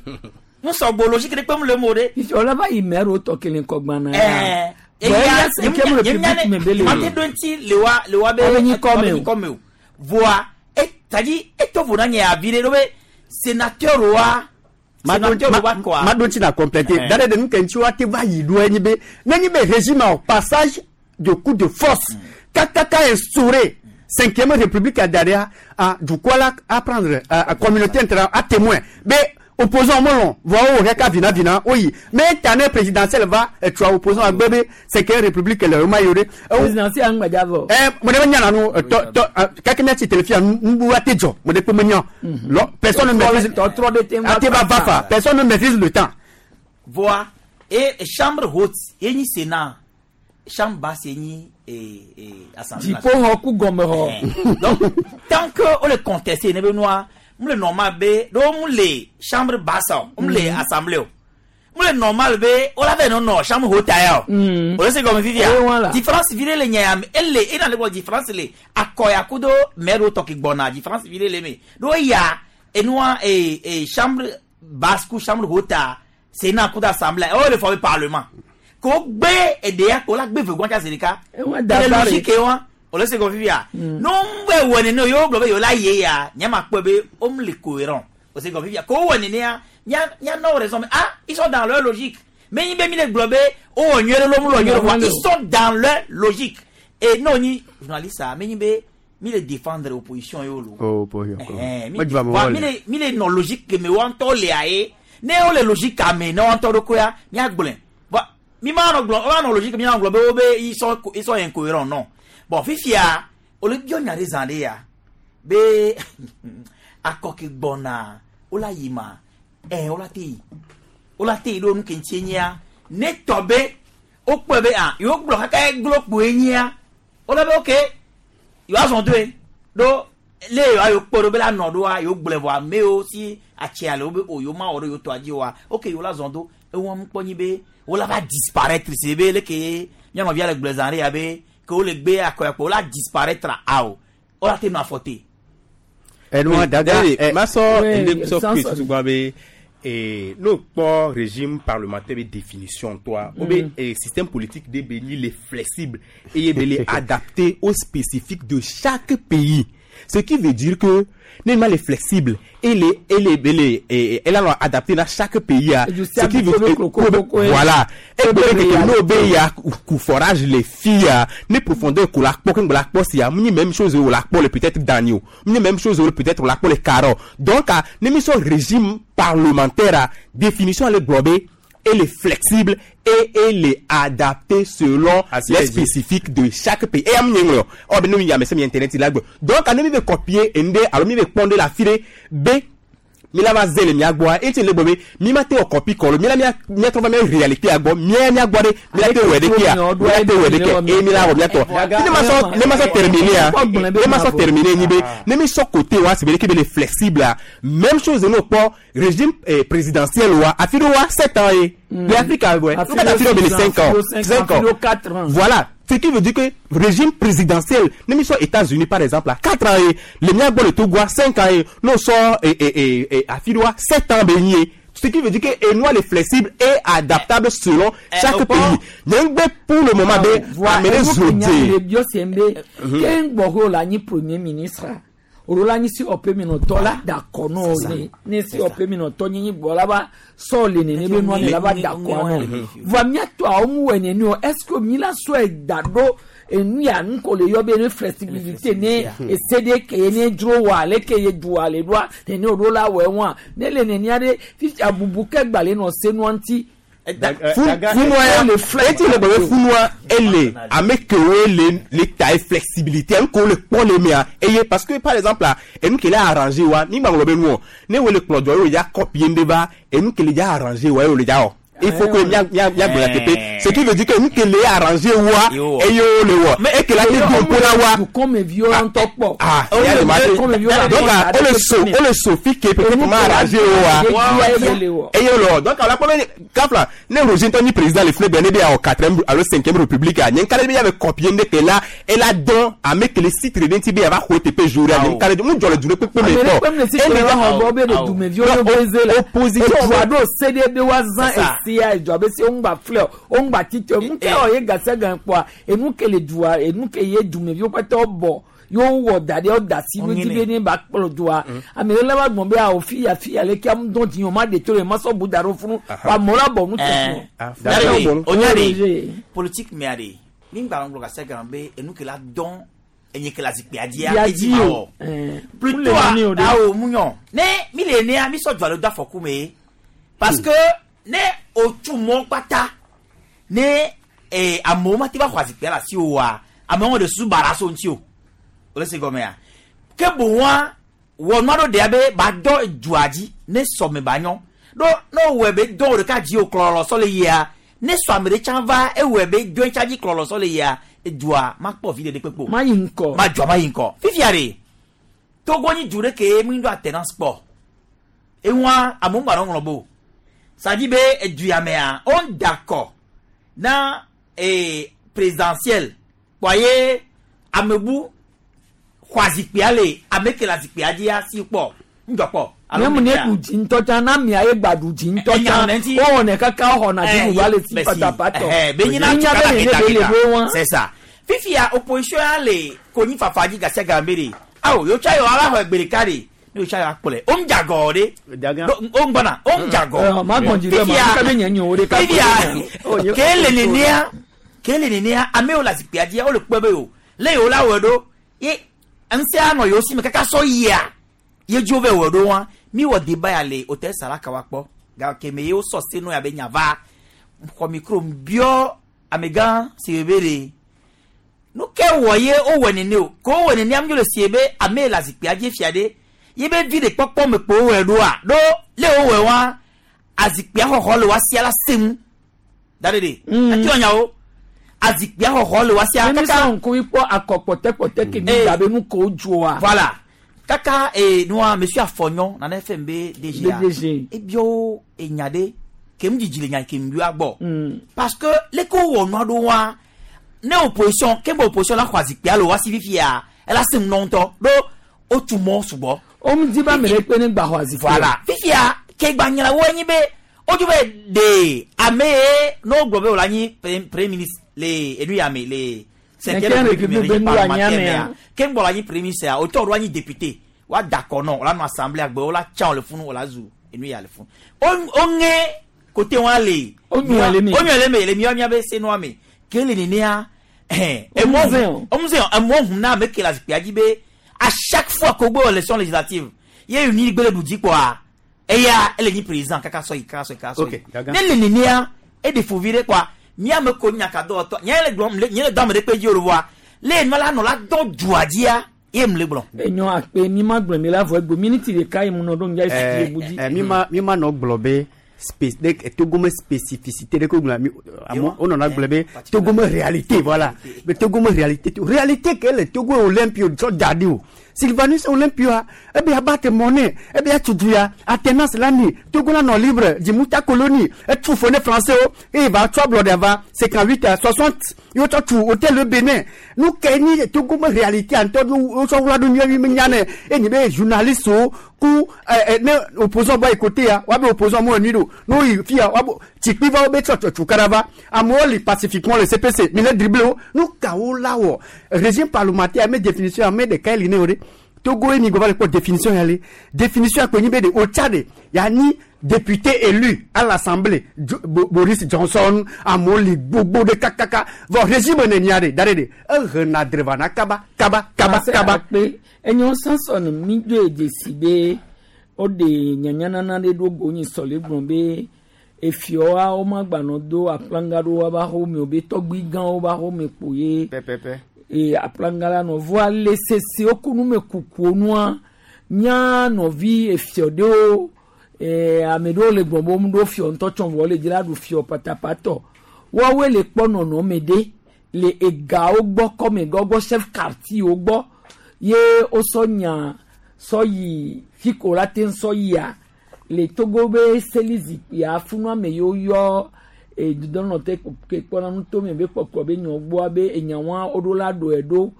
n sɔgbɔ logique ɖe kpem le mo ɖe. Fifi wòle va yi maire wo tɔ kelen kɔ gbana. Ɛɛ eya cinquième république me be le. Mate ɖo ŋuti le wa le wa be Abe nyi kɔ me o. abe nyi kɔ me o. Voa e tadi eto vo na nye avi ɖe ɖo be sénateur wa sénateur wa kɔa. Ma ɖo ŋuti na compléter da ɖe nu ke ŋuti woate va yi ɖo enyi be nenyi be régime au passage de coup de force kakaka instauré cinquième république a da ɖea a dukɔ la a prendre a communauté internationale a témoin be opposant melɔn vɔ wo hɛ ka vina vina wo yi mais tane présidentielle va etua opposant agbe be cinquième république le ma yi o ɖe. Présidentielle aŋgbadza vɔ. Mo ɖe me nya na nu tɔ tɔ kake miatsi téléfia nu nu wa te dzɔ mo ɖe kpe me nya lɔ personne ne maîtrise tɔtrɔ ɖe te ŋu ate va va fa personne ne maîtrise le temps. Voa e chambre haute ye nyi sénat chambre basse ye nyi assemblée Dziƒoxɔ ku gɔmexɔ. Donc tant que wo le contesté ne be nua Mu le normal be ɖo mu le chambre basse o, mu le assemblée o. Mu le normal be wola vɛ nɔ nɔ chambre haute ya o. O le se gɔme fifia. Eh, voilà. Différence vi ɖe le nya ya me. Ele ena le gbɔ différence le akɔya kudo mɛ ɖewo tɔ ke gbɔna différence vi ɖe le me. Ɖo eya enua e e chambre basse ku chambre haute sénat kudo assemblée o le fɔ be parlement. Ko gbe eɖea ko la gbe ve gbɔn tsa zi ɖeka. Ewa Ele dabare. logique wa. O le se gɔme fifia. No ŋgbe wɔ nene o yewo gblɔ be yewo la ye ya nye ma kpɔe be wo mu le cohérent. O se gɔme fifia. Ko wɔ nenea nya nya nɔ raison mais ah ils sont dans leur logique. Mais nyi be mi le gblɔ be wo wɔ nyuie ɖe lo mu le wɔ nyuie ɖe voa ils sont dans leur logique. Et n'o nyi journaliste a mi nyi be mi le défendre opposition yewo lo. Oh, opposition. Eh, mi Moi, je vais me voa voir. mi le mi le nɔ logique ke me wa ŋutɔ lea ye ne wo le logique ame ne wa ŋutɔ ɖo koya miagblɔe voa mi ma nɔ gblɔ wa nɔ logique mi ma gblɔ be wo be ils sont ils sont incohérents non bon fifia wo le biɔ nya ɖe zã ɖe ya be akɔ ke gbɔna wo la yi ma ɛ wo la te yi wo la te yi ɖo nu ke ŋutie nyia ne tɔ be wokpɔe be ah yewo gblɔ kaka ye glo kpoe nyia wo la be ok yewoa zɔn doe ɖo le yewoa yewo kpɔ ɖo be la nɔ ɖoa yewo gblɔe vɔ amewo si atsia le wo be o yewo ma wɔ ɖo yewo tɔa dzi oa ok yewo la zɔn do ewɔ mu kpɔ nyi be wo la va disparaître si be leke mía nɔvia le gblɔ zã ɖe ya be ke wo le gbe akɔyakpɔ wo la disparaître awo wo la te nɔ afɔ te. Enua daga. Ma sɔ Oui, ende sɔ sans kpe sɔ- tutu gba be eh, n'o kpɔ régime parlementaire be définition tɔa o be eh, système politique de be nyi le flexible eye be le adapté au spécifique de chaque pays ce qui veut dire que ne ma le flexible et le et le be le eh, elle a adapté dans chaque pays a Et du ce qui veut sable, eh, koko, koko, voilà et Koko, be ke ya. n'o be ya ku forage les filles a ne profondeur ko la kpɔ ke la kpɔ sia mu nyi même chose o la kpɔ le peut-être Daniel mu nyi même chose o peut-être la kpɔ le Caro donc a ne mi sɔ régime parlementaire a définition ale gblɔ be elle est flexible et elle est adaptée selon Asi les le dzi. spécifiques de chaque pays. Et am nye ŋlɔ ɔ be ne mi ya me se mi internet la gblɔ donc a ne mi be copier ende alo mi be kpɔn de la fi ɖe be mi la va ze le mia gbɔa eti le gbɔ be mi ma te wɔ copie kɔ lo mi la mia mia trɔ va mia réalité a gbɔ mia mia gbɔ ɖe mi la te wɔ ɖe kia mi la te wɔ ɖe kɛ eye mi la wɔ mia tɔ ne ma sɔ ne ma sɔ terminer a ne ma sɔ terminer nyi be ne mi sɔ côté wa si be ɖeke be le flexible a même chose ne kpɔ régime eh, présidentiel wa afi ɖe wa sept ans ye le Afrique wɛ Afi n ka afi ɖe be le cinq ans cinq ans quatre ans. voilà. Ce qui veut dire que régime présidentiel, nous sommes États-Unis par exemple, à 4 ans, et le mien le Togo, 5 ans, et nous sommes et, et, et, et, à Fidoa, 7 ans baignés. Ce qui veut dire que Enoa est flexible et adaptable selon chaque au pays. port- Donc, pour le moment, de amener Zodé. bio sembe ke ŋgbɔho la nyi premier ministre olo la nyi si ɔpe minɔtɔ la dakɔ nɔ ne ne si ɔpe minɔtɔ nyi nyi gbɔ la ba sɔ le nene be nua ne la ba dakɔ nɔ voa miatɔ awo mu wɔ nene o est ce que mi la sɔe da ɖo enu ya nu ko le yɔ be ne flexibilité ne ese de ke ye ne dzro wa ale ke ye du ale ɖoa nene o ɖo la wɔ eŋua ne le nenea ɖe fifi abubu ke gbalẽ nɔ senua ŋuti. Funua, eti le gbɔ be funua ele ame kewo le le ta ye flexibilité enu kewo le kpɔ le mea eye parce que par exemple la enu ke le arrangé wa ni gba ŋlɔ be nuɔ ne wo le kplɔ dɔ ye wo ya copier ŋɖe va enu ke le dza arrangé wa ye wo le dza wɔ il faut que mia mia mia gblɔ teƒe ce qui veut dire que enu ke le arrangé wa eye wo le wɔ eke la te do ŋku na wa dukɔmeviwo ŋutɔ kpɔ. ah ya le ma te donc ah, o le so o le so fi ke peut-être ma arrangé wa eye wo le wɔ donc ala kpɔ be kafla ne Roger ŋutɔ nyi président le filɛ bɛ ne bɛ yan wɔ quatrième alo cinquième république a nye ŋka ɖe be ya bɛ copier ŋɖe ke la ela dɔn ame ke le sitre ɖe ŋuti be ya va xɔ teƒe jour ya nye ŋka ɖe mu dzɔ le du ɖe kpekpe me ame ɖe kpɔ kpem le si tɔ la xɔ bɔ be ɖe dumeviwo ɖo beze la opposition edua ɖo se ɖe be woazã C'est ça. esia edua be se woŋgba filɛ o woŋgba titɛ o nu ke wɔ ye gase gan kpɔa enu ke le dua enu ke ye dumeviwo katã bɔ yewo wɔ da ɖe wo da si ɖo dzi be ne ba kplɔ dua ame ɖe la va gbɔn be awo fi ya fi ya leke amu dɔn dzi o ma de to le ma sɔ bu da ɖo funu wa amewo la bɔ nu tɛ Nyari, o nyari, politique mea de ni gba ŋgblɔ gase gan be enu ke la dɔn enye ke la zikpuia dzia Ya edzi dzi ma o. wɔ. Eh. Plutôt Mu le nene o de. awo mu nyɔ ne mi le nea mi sɔ dzɔ le do afɔku me parce que ne o tu mɔ kpata ne eh, amewo ma te va xɔ azikpuia le asi o wa amewo de su bara so ŋuti o o le se gɔmea ke boŋua wɔ nua ɖo ɖea be ba dɔ dzoa dzi ne sɔme ba nyɔ ɖo ne wòwɔe be dɔn ɖeka dzi o klɔlɔ sɔ le yia ne sɔ ame ɖe tsã va ewɔe be dɔn tsã dzi klɔlɔ sɔ le yia edzoa ma kpɔ vi ɖe ɖe kpekpe o ma yi ŋkɔ ma dzoa ma yi ŋkɔ fifia ɖe Togo nyi du ɖe ke mi ɖo alternance kpɔ. Eŋua amewo ŋgba nɔ ŋlɔ bo. Ça dit be edu ya mea, on d'accord na présidentielle. Kpɔa ye amebu xɔ zikpuia le ame ke le zikpuia dzia si kpɔ ŋdzɔ kpɔ. Ne mu ne ɖu dzi ŋutɔ tsã na mia ye gba ɖu dzi ŋutɔ tsã wowɔnɛ kaka xɔna dziɖuɖua le si patapatɔ. Be nyina Nya be nene be le ɖo wa. C'est ça. Fifia opposition ya le konyi fafa dzi gasia game de. Awo yotsa yɔ ala xɔ egbe ɖeka de. Ne yotsa yɔ akplɔe. O ŋdza gɔ de. O ŋgbɔna o ŋdza gɔ. Ma gbɔn dzi ɖe ma kaka be nye nye wo ɖeka. Fifia ke le nenea ke le nenea amewo le zikpuia dzia wole kpɔe be o le yewo la wɔe ɖo ye ŋusẽ anɔ yewo si me kaka sɔ yia ye dzo be wɔ ɖo wa mi wɔ débat ya le hôtel Salaka wa kpɔ gake me ye wosɔ senu ya be nya va xɔ micro biɔ amegã si be ɖe nu ke wɔ ye wowɔ nene o ko wowɔ nene am le sie be ame le zikpuia dzi fia ɖe ye be vi ɖe kpɔkpɔ me kpo wowɔe ɖoa ɖo le wowɔe wa azikpuia xɔxɔ le wa sia la senu da ɖe ɖe ati wɔ nyawo azikpuia xɔxɔ le wa sia kaka. Ne mi sɔ ŋkuvi kpɔ akɔ kpɔtɛkpɔtɛ ke mi da be nu ko dzoa. Voilà kaka nua monsieur Afɔnyɔ nane fɛn be DG a ebiɔ enya ɖe ke mu dzidzi le nya ke mu bia gbɔ parce que le ko wɔ nua ɖo wa ne opposition ke be opposition la xɔ azikpuia le wa si fifia ela se ŋu ŋutɔ ɖo wotu mɔ sugbɔ. O mu di ba ame ɖe kpe ne gba xɔ azikpuia. Voilà fifia ke gba nyina wo enyi be wodzo be de ame ye n'o gblɔ be wòle anyi premier ministre le enu ya me le cinquième république parlementaire ke ŋgbɔ le anyi premier ministre ya wòtsɔ ɖo anyi député wa d'accord nɔ wòle anɔ assemblée agbe wòle atsa le funu wòle azu enu ya le funu o ŋe côté wa le. O nyɔ le me. O nyɔ le me le miɔ mia be senua me ke le nenea emɔ emɔ hun na ame ke le zikpuia dzi be à chaque fois ko gbe élection législative ye uni gbe le ɖu dzi kpɔa eya ele nyi président kaka sɔ yi kaka sɔ yi kaka sɔ yi ne le nenea e de fovi ɖe kpɔa miame ko nyaka dɔwɔtɔ nye le gblɔm nye le dɔ ame ɖe kpe dzi o le voa le enua la nɔ la dɔ dua dzia ye mu le gblɔ. Enyo akpe mi ma gblɔ mi la vɔ egbe miniti ɖeka yi mu nɔ ɖo ŋdza esi ebu dzi. Mi ma mi ma nɔ gblɔ be Togo me spécificité ɖe ko gblɔ mi amewo wonɔna gblɔ be Togo me réalité, voilà, be Togo me réalité, réalité ke le Togo Olympio tsɔ da ɖi o. Sylvanus Olympio ebe abattre monnaie, ebe atutu ya alternance la ni Togo la nɔ libre dzimuta colonie etu fo ne français wo eye va tsɔ ablɔɖe va 58 à 60 ye wotsɔ tu hôtel le Benin. Nu ke ni Togo me réalité ŋutɔ wotsɔ wla ɖo nyuie mi nya ne enyi be journaliste wo ku ɛ ne opposant bɔ yi côté ya woabe opposant mo enui ɖo ne woyi fia woabo tsikpi va wo be tsɔ tu kara va amewo li pacifiquement le CPC mi le dribble wo. Nu kawo la wɔ régime parlementaire ame définition ame ɖeka li ne o ɖe Togo ye mi gbɔ va le kpɔ définition ya le définition akpe nyi be de otsa de yanni député élu à l'assemblée Boris Johnson amewo li gbogbo ɖe kakaka vɔ régime nenia de da ɖe de ehena drevana kaba kaba kaba kaba. Akpe enyo Samson mi do dzesi be woɖe nyanyanana ɖe ɖo go nyi sɔle gblɔ be efiɔa womagbanɔ do aplanga ɖo woava xɔme o be tɔgbui gãwo va xɔme kpo ye pɛpɛpɛ e aplanga la nɔ voa le sese wo ku nume kukuwo nua mía nɔvi efiɔ ɖewo ame ɖewo le gbɔn be womu ɖo fiɔ ŋutɔ tsɔ vɔ le dzi la ɖu fiɔ patapatɔ woawoe le kpɔ nɔnɔme ɖe le egawo gbɔ kɔmegɔ gbɔ chef quartier wo gbɔ ye wosɔ nya sɔ yi fi ko la te sɔ yia le Togo be seli zikpuia funu ame yiwo yɔ dudɔnɔ te ke kpɔna nutome be kpɔkplɔ be nyɔ gbɔa be enyawoa woɖo la ɖoe ɖo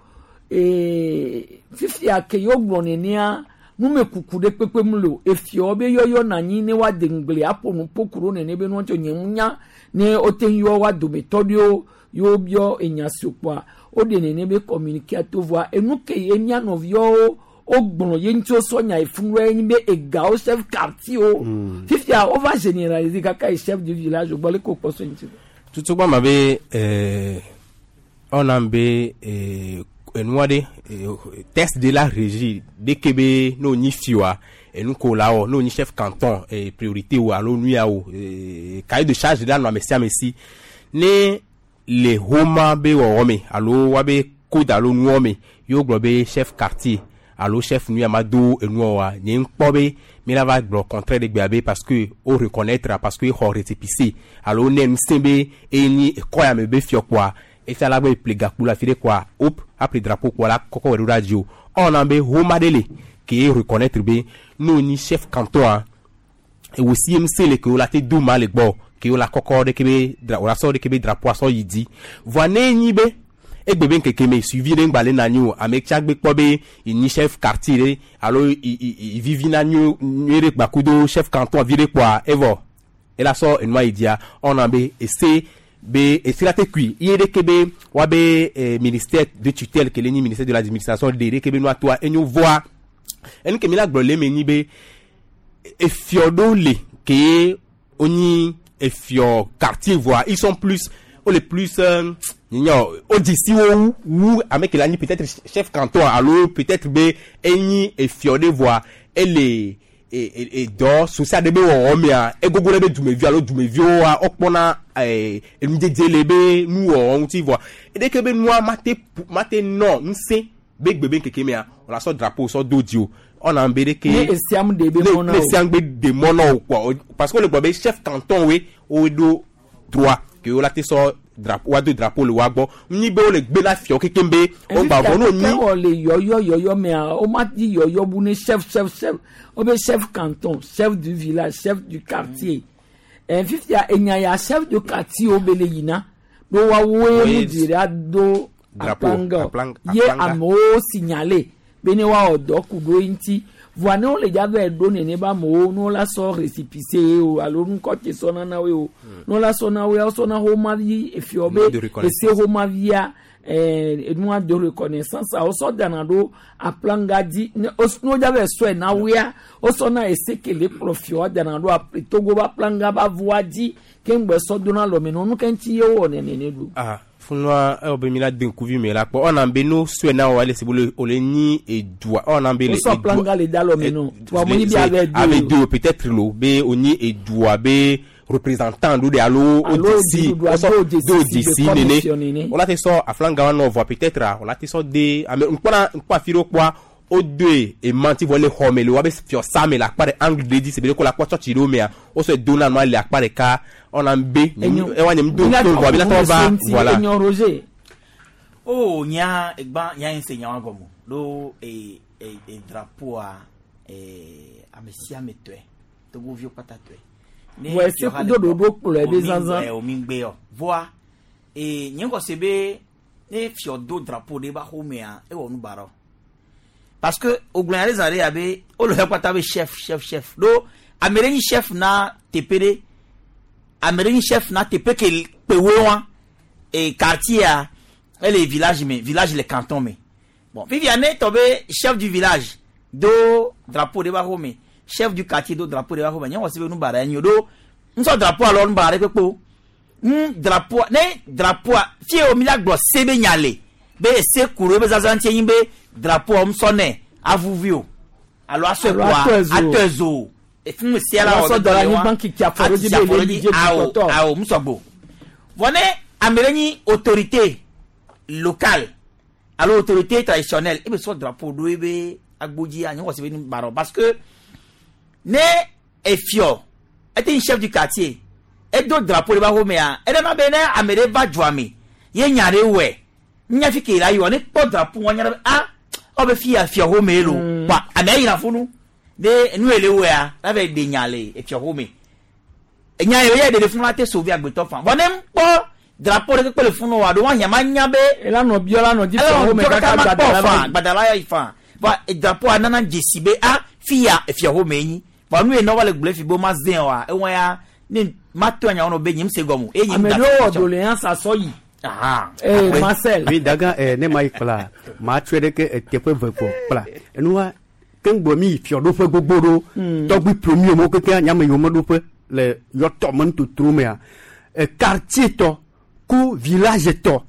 fifia ke yewo gblɔ nenea numekuku ɖe kpekpe mu le o efiawo be yɔyɔ na anyi ne woade ŋugble aƒo nu ƒo ku ɖo nene be nua tso nye ŋu nya ne wote ŋu yɔ woa dometɔ ɖewo yewo biɔ enya si kpɔa woɖe nene be communiqué to voa enu ke ye mía nɔviawo wogblɔ ye ŋuti wosɔ nya efunu ye nyi be egawo chef quartier wo fifia wova généraliser kaka ye chef du village gbɔ le ko kpɔ so ŋuti. Tutu ma be ɔna be enua ɖe texte de la régie de ke be n'o nyi fiwa enu ko la wɔ n'o nyi chef canton priorité o alo nu ya o cahier de charge la nɔ ame sia ame si ne le homa be wɔwɔ me alo wa be code alo nuwɔ me yewo gblɔ be chef quartier alo chef nu ya ma do enuɔ wa nye ŋkpɔ be mi la va gblɔ contraire de gbea be parce que o reconnaître parce que exɔ récépissé alo ne ŋusẽ be eye nyi ekɔ ya me be fiɔ kpɔa. Efia la be ƒle gakpo le afi ɖe kɔa hop aƒle drapeau kpɔ la kɔkɔ wɔ ɖo ɖa dzi o. Ewɔna be home aɖe le ke reconnaître be ne wonyi chef canton ewo CMC le ke wo la te do ma le gbɔ ke wo la kɔkɔ ɖeke be dra wo la sɔ ɖeke be drapeau sɔ yi dzi. Vɔa ne enyi be egbe be ŋkeke me suivi ɖe ŋgba le na anyi o ame tsa gbe kpɔ be enyi chef quartier ɖe alo i i i vivina nyuie nyuie ɖe gbakudo chef canton vi ɖe kpɔa evɔ ela sɔ enua yi dzia ewɔna be ese be ese la te kui ye ɖeke be woabe ministère de tutelle ke le nyi ministère de l'administration de ɖeke be nua toa enyo vɔa enu ke mi la gblɔ le eme nyi be efiɔ ɖewo le ke wonyi efiɔ quartier voa ils sont plus wole plus nyɔ wodzi si wo wu wu ame ke le anyi peut-être chef canton alo peut-être be enyi efiɔ ɖe voa ele edɔ social ɖe be wɔwɔ mea egogo ɖe be dumevi alo dumeviwoa wokpɔna enudzedze le be nuwɔwɔ ŋuti voa eɖeke be nua mate mate nɔ ŋusẽ be gbe be ŋkeke mea wòle sɔ drapeau sɔ do dzi o ɔna be ɖeke Ne esiam ɖe be mɔ na ne o. esiam gbe ɖe mɔ na o kpɔ parce que wole gblɔ be chef canton woe woe ɖo droit ke wo la te sɔ drapeau woado drapeau le woa gbɔ nyi be wole gbe na fiawo kekem be wogba vɔ ne wonyi wɔ le yɔyɔ yɔyɔ mea woma di yɔyɔ bu ne chef chef chef wobe chef canton chef du village chef du quartier fifia enya ya chef du quartier wo be le yina ɖo woawoe Oui. mu dzi ɖe ado Drapeau, aplanga ye aplanga. amewo signalé be ne woawɔ dɔ ku ɖo eŋuti voa ne wole dza va ɖo nene be amewo ne wola sɔ récépissé o alo ŋkɔ te sɔ nana woe o ne wola sɔ na woe wosɔ na homavi efiɔ Nom de be reconnaissance. ese homavia enua de reconnaissance a wosɔ dana ɖo aplanga dzi ne wodza va sɔe na woea wosɔ na ese ke le kplɔ fiɔ dana ɖo togo be aplanga be avɔa dzi keŋ gbɛ sɔ dona lɔme nɔ nu ke ŋuti ye wowɔ nene ɖo. Ah, funua ewɔ be mi la de ŋkuvi me la kpɔ ɔna be no sɔe na wɔ ele si be wole nyi edua ɔna be le Wosɔ aplanga le da lɔme nɔ wa mo nyi bi ave do ave do peut-être lo be wonyi edua be représentant ɖo ɖe alo Alo wodesi dziɖuɖua wosɔ do dzesi do si be dzesi commission nene nene. wola te sɔ aflanga wa nɔ vɔa peut-être a wola te sɔ de ame ŋkpɔna ŋkpɔ afi ɖewo kpɔa wodoe emanti vɔ le xɔ me le woabe fiɔsa me le akpa ɖe angle ɖe dzi si be ɖe ko le akpɔ tsɔtsi ɖewo mea wosɔe dona nua le akpa ɖeka ɔna be ewa nye do to vɔa bi la tɔ va voilà. Enyo Roger. O nya egba nya yin se nya wa gɔmɔ ɖo e e e drapeau-a e ame sia ame tɔe togoviwo kpata tɔe. Ne Vɔ ese fiɔha kudo le gbɔ, ɖoɖo kplɔe be omi zazã. o mi gbe yɔ voa e nye ŋgɔ se be ne fiɔ do drapeau ɖe ba xɔmea ewɔ nu baɖa o. Parce que o gblɔ nya ɖe zã ɖe ya be wole xɔ kpata be chef chef chef ɖo ame ɖe nyi chef na teƒe ɖe ame ɖe nyi chef na teƒe ke kpewoe wa e quartier a ele village me village le canton me bon fifia ne tɔ be chef du village do drapeau ɖe ba xɔ me chef du quartier do drapeau ɖe ba xɔ me nye wɔ se be nu baɖa ye nyi o ɖo ŋusɔ drapeau alo nu baɖa ɖe kpekpe o ŋu drapeau ne drapeau fie o mi la gblɔ se be nya le be ese ku ɖo ebe zazã ŋuti nye be drapeau ŋusɔ nɛ avuvi o alo asɔe Alo kpoa atɔe zo. atɔe zo o efun sia la Alo wɔ asɔ be dɔ le dɔ le wa. anyigba kiki afɔ ɖo dzi Atsi be afɔ ɖo le dzi. dzi Awo, dukɔtɔ. awo musɔgbo vɔ ne ame ɖe nyi autorité locale alo autorité traditionnelle ebe sɔ drapeau ɖo ebe agbodzi anyi wɔ se be nu baɖɔ parce que ne efiɔ ete nyi chef du quartier edo drapeau ɖe ba xɔmea eɖe ma be ne ame ɖe va dua me ye nya ɖe wɔe nya fi ke la yi wɔ ne kpɔ drapeau wɔn nya ɖe be ah ɔ be fi ya fiɔ xɔme ye lo kpa amea yina funu ne nu ye le wɔea la va ɖe nya le efiɔ xɔme enya yi ye ɖe funu la te sauver agbetɔ fan vɔ ne kpɔ drapeau ɖe kpekpe le funu wa ɖo wa hiã ma nya be ela nɔ biɔ la nɔ dzi ela fiɔ nɔ xɔme biɔ kaka kaka ma gbadala kpɔ va fan yi. gbadala yi fan vɔ drapeau nana dzesi be ah fi ya efiɔ xɔme ye nyi vɔ nu ye nɔ va le gblɔ fi be ma zẽ wa ewɔ ya ne ma to anya wɔnɔ be nyim se gɔme o eye nyim ame da ɖewo wɔ doléance asɔ yi. Eh, Marcel. Oui, daga ne ma yi kpla ma tsɔe ɖe ke teƒe ve kpɔ kpla enua ke ŋgbɔ mi yi fiɔɖoƒe gbogbo ɖo tɔgbi premier mo keke nyame yiwo meɖoƒe le yɔtɔ me nutotro mea quartier tɔ ku village tɔ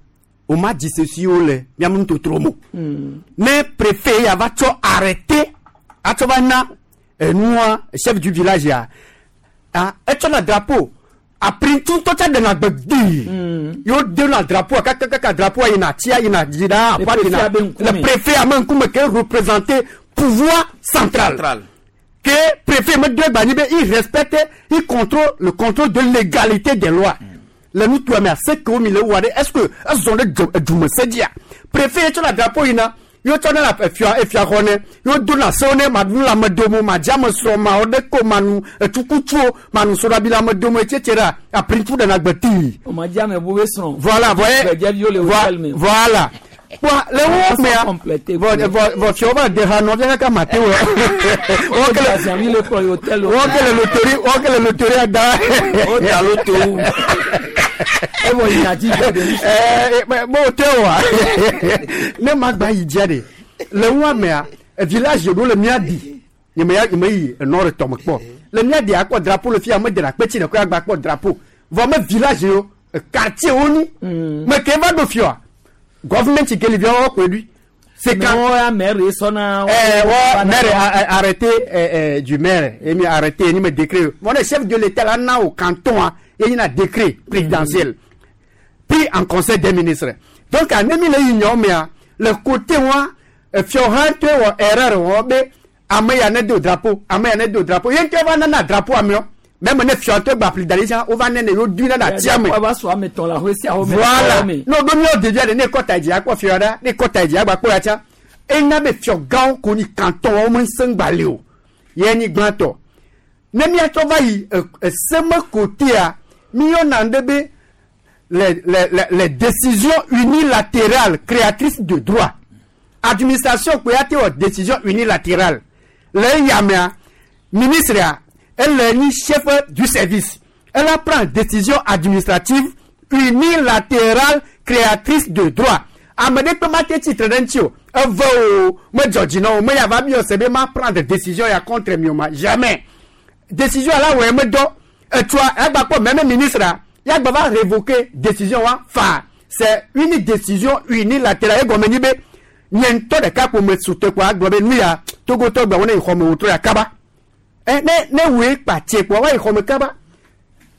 o ma dzisesiwo le miame nutotro mo ne préfet ya va tsɔ arrêté atsɔ va na enua chef du village ya ah etsɔna drapeau aprintu ŋutɔ tsa ɖena gbe gbii yewo dena drapeau kakakaka drapeau yina tsia yina dzi ɖaa Le aƒua préfet yina abe ŋkume. le préfet ame ŋkume ke représenter pouvoir central. Central. Que préfet me doit gagner, il respecte, il contrôle le contrôle de légalité des lois. Le nutoa mea, se kewo mi le wɔa ɖe, est-ce que ezɔ ɖe dzo edume se dzia? Préfet ye tsɔna drapeau yina, ye wotsɔna le efia efia xɔ ne, ye wodona sewo ne maɖu nu le ame dome o, madze ame srɔ̃, mawɔ ɖeke o, manu etukutsuo, manu soɖabi le ame dome, etc. Aprintsu ɖena gbe tii. O ma dze ame bu be srɔ̃. Voilà, voyez. Gbedzeviwo le hotel me. Voilà. Kpɔa le wo mea, vɔ vɔ vɔ fiawo va de ha nɔvia kaka mate wɔ. Wo ke le mi le kplɔ yi hotel o. Wo ke le loterie, wo ke le loterie da. O da loto. Evɔ yi na dzi gbɔ de. Ɛɛ mo hotel wa. Ne ma gba yi dzia de. Le wo mea, village ɖo le mía di. Nye me ya nye me yi enɔ ɖe tɔme kpɔ. Le mía di akpɔ drapeau le fia me de na kpetsi ɖe ko agba kpɔ drapeau. Vɔ me village yo quartier wo ni. Me ke va ɖo fia. Government ke li via wo koe ɖui. C'est quand ouais, maire sɔna. Eh, ouais, maire arrêté du maire, et mi arrêté, ni me décret. Mon chef de l'État là na au canton, hein, il y a un décret présidentiel pris en conseil des ministres. Donc, à nemi le union mais le côté moi, fioran te ou erreur ou be ame ya ne do drapeau, ame ya ne do drapeau. Yen te va na drapeau amio. Même ne fion te ba pli dalisa, o va ne yo du na na tia me. Va so ame ton la ho si aho me. Voilà. No do mi o devia de ne kota di akpo fion da, ne kota di agba po ya tia. E na be fion gan ko ni canton o mo sengba le o. Ye ni gbanto. Ne mi ato va yi seme côté a mi yo na ndebe les décisions unilatérales créatrices de droit. Administration ko ya te o décision unilatérale. Le yamea ministre a elle est chef du service. Elle prend décision administrative unilatérale créatrice de droit. Amede pe ma te titre d'entio. Evo me Georgino, me ya va bio sebe ma prendre décision ya contre mioma. Jamais. Décision là ouais me do. Et toi, elle va pas même ministre ya va révoquer décision wa fa. C'est une décision unilatérale gomeni be. Nyento de ka ko me soute quoi globe nu ya Togo to gba wona ikho me wotro ya kaba. Ne we kpatie quoi wa ikho me kaba.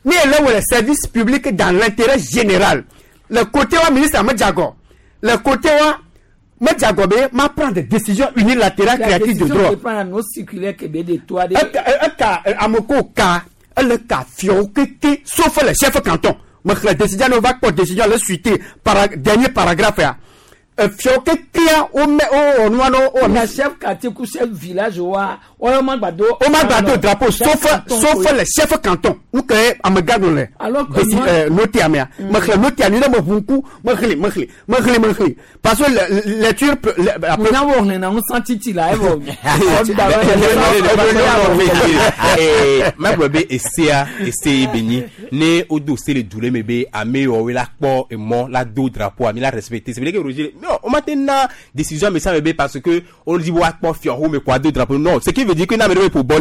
Ni ele le service public dans l'intérêt général. Le côté wa ministre me jago. Le côté wa me jago be ma prendre des décisions unilatérales créatrices de droit. Eka amoko ka ele ka fio keke sauf le chef canton. Me la décision ne va pas décision le suite par dernier paragraphe ya. Fio keke o me o no no o na chef quartier ku chef village wa o ma gbado o ma gbado drapeau sauf le chef canton ou que amega no le noté amea me xle noté ani me hunku me xle parce que lecture après na wo na un sentiti la evo ma gbe esia ese beni ne odo se le dule mebe ame o la po e mo la do drapeau ami la respecter. C'est vrai que Roger non, on m'a na décision mais ça bébé parce que on dit wa po fior mais quoi deux drapeau non, ce qui veut dire que n'a mais pour bon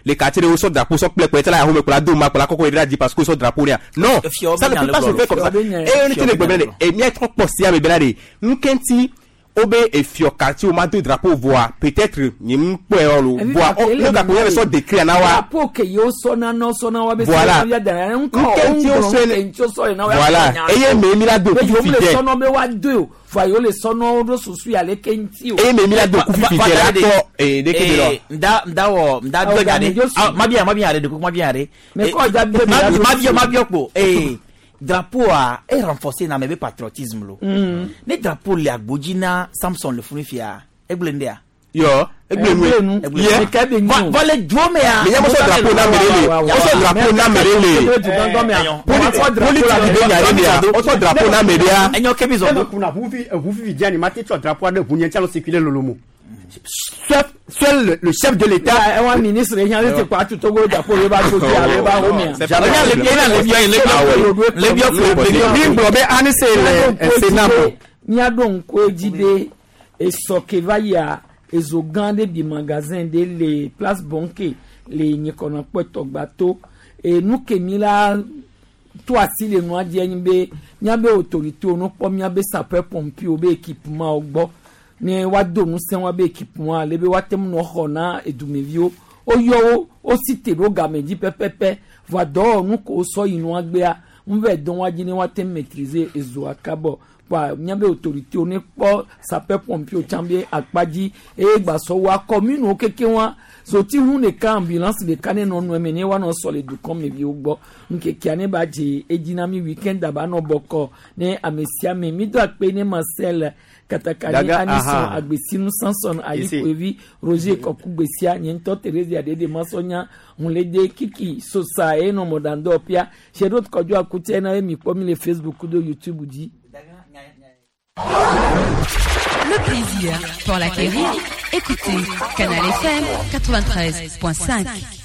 les quartiers au sort drapeau sort plein pour là mais pour la do ma pour la coco il dit parce que sort drapeau là. Non, ça ne peut pas se faire comme ça. Et on était le problème et mi trop possia bébé là nkenti obe e fior quartier o ma deux drapeau voix peut-être ni mpo lo voix o le drapeau y sort décret na wa drapeau que yo sona no sona wa be voilà nkenti o so voilà et ye me mi la do ku fi le sono be wa deux voix yo le sono ro susu ya le kenti o et me mi la do ku fi la to e de ke de nda nda wo nda do ga de ma bien are de ku ma bien are mais ko ja be ma bien ko eh drapeau a est renforcé dans mes patriotisme lo. Ne drapeau le agbodjina Samson le funifia egblendea. Yo, egblenu. Ye. Vole djome ya. Mais y'a mo drapeau na merele. O so drapeau na merele. Politique o so drapeau na merele. Enyo kebi zo. Kuna hufi hufi diani mate cho drapeau de hunye tchalo circuler lolomo. Seul le chef de l'État. Un ministre, il y a quoi tout Togo drapeau le ba to le ba romien. Miado nko jibe esoke va ya ezogan de bi magasin de les place Bonké les nyekona pwetogbato et nous ke mi la to asi le nu adie nbe nyabe autorité ono po miabe sapeur pompier obe équipement ogbo ne wa do nu sen wa be équipement le be wa tem no xona edumevio o yo o cité ro gamedi pepepe va do nu ko so inu agbea nve don wa jini wa tem maîtriser ezo akabo Kpoa míabe autorité ne kpɔ sapeur pompier tsã be akpa dzi eye gbasɔ wa commune wo keke wa zoti hu ɖeka ambulance ɖeka ne nɔ nɔe me ne woanɔ sɔ le dukɔ me viwo gbɔ ŋkekea ne ba dze edzi na mi weekend aba nɔ bɔkɔ ne ame sia ame mi do akpe ne Marcel katakani Daga, Anison aha. Agbesinu Samson Ayikoevi Roger Kɔkugbesia nye ŋutɔ Theresia Dede Masɔnya Hunlede Kiki Sosa eye nɔ mɔɖaŋdɔ pia Sherot Kɔdzo Akutse na ye mi kpɔ mi le Facebook do YouTube dzi. Le plaisir pour l'acquérir. Écoutez Canal FM 93.5.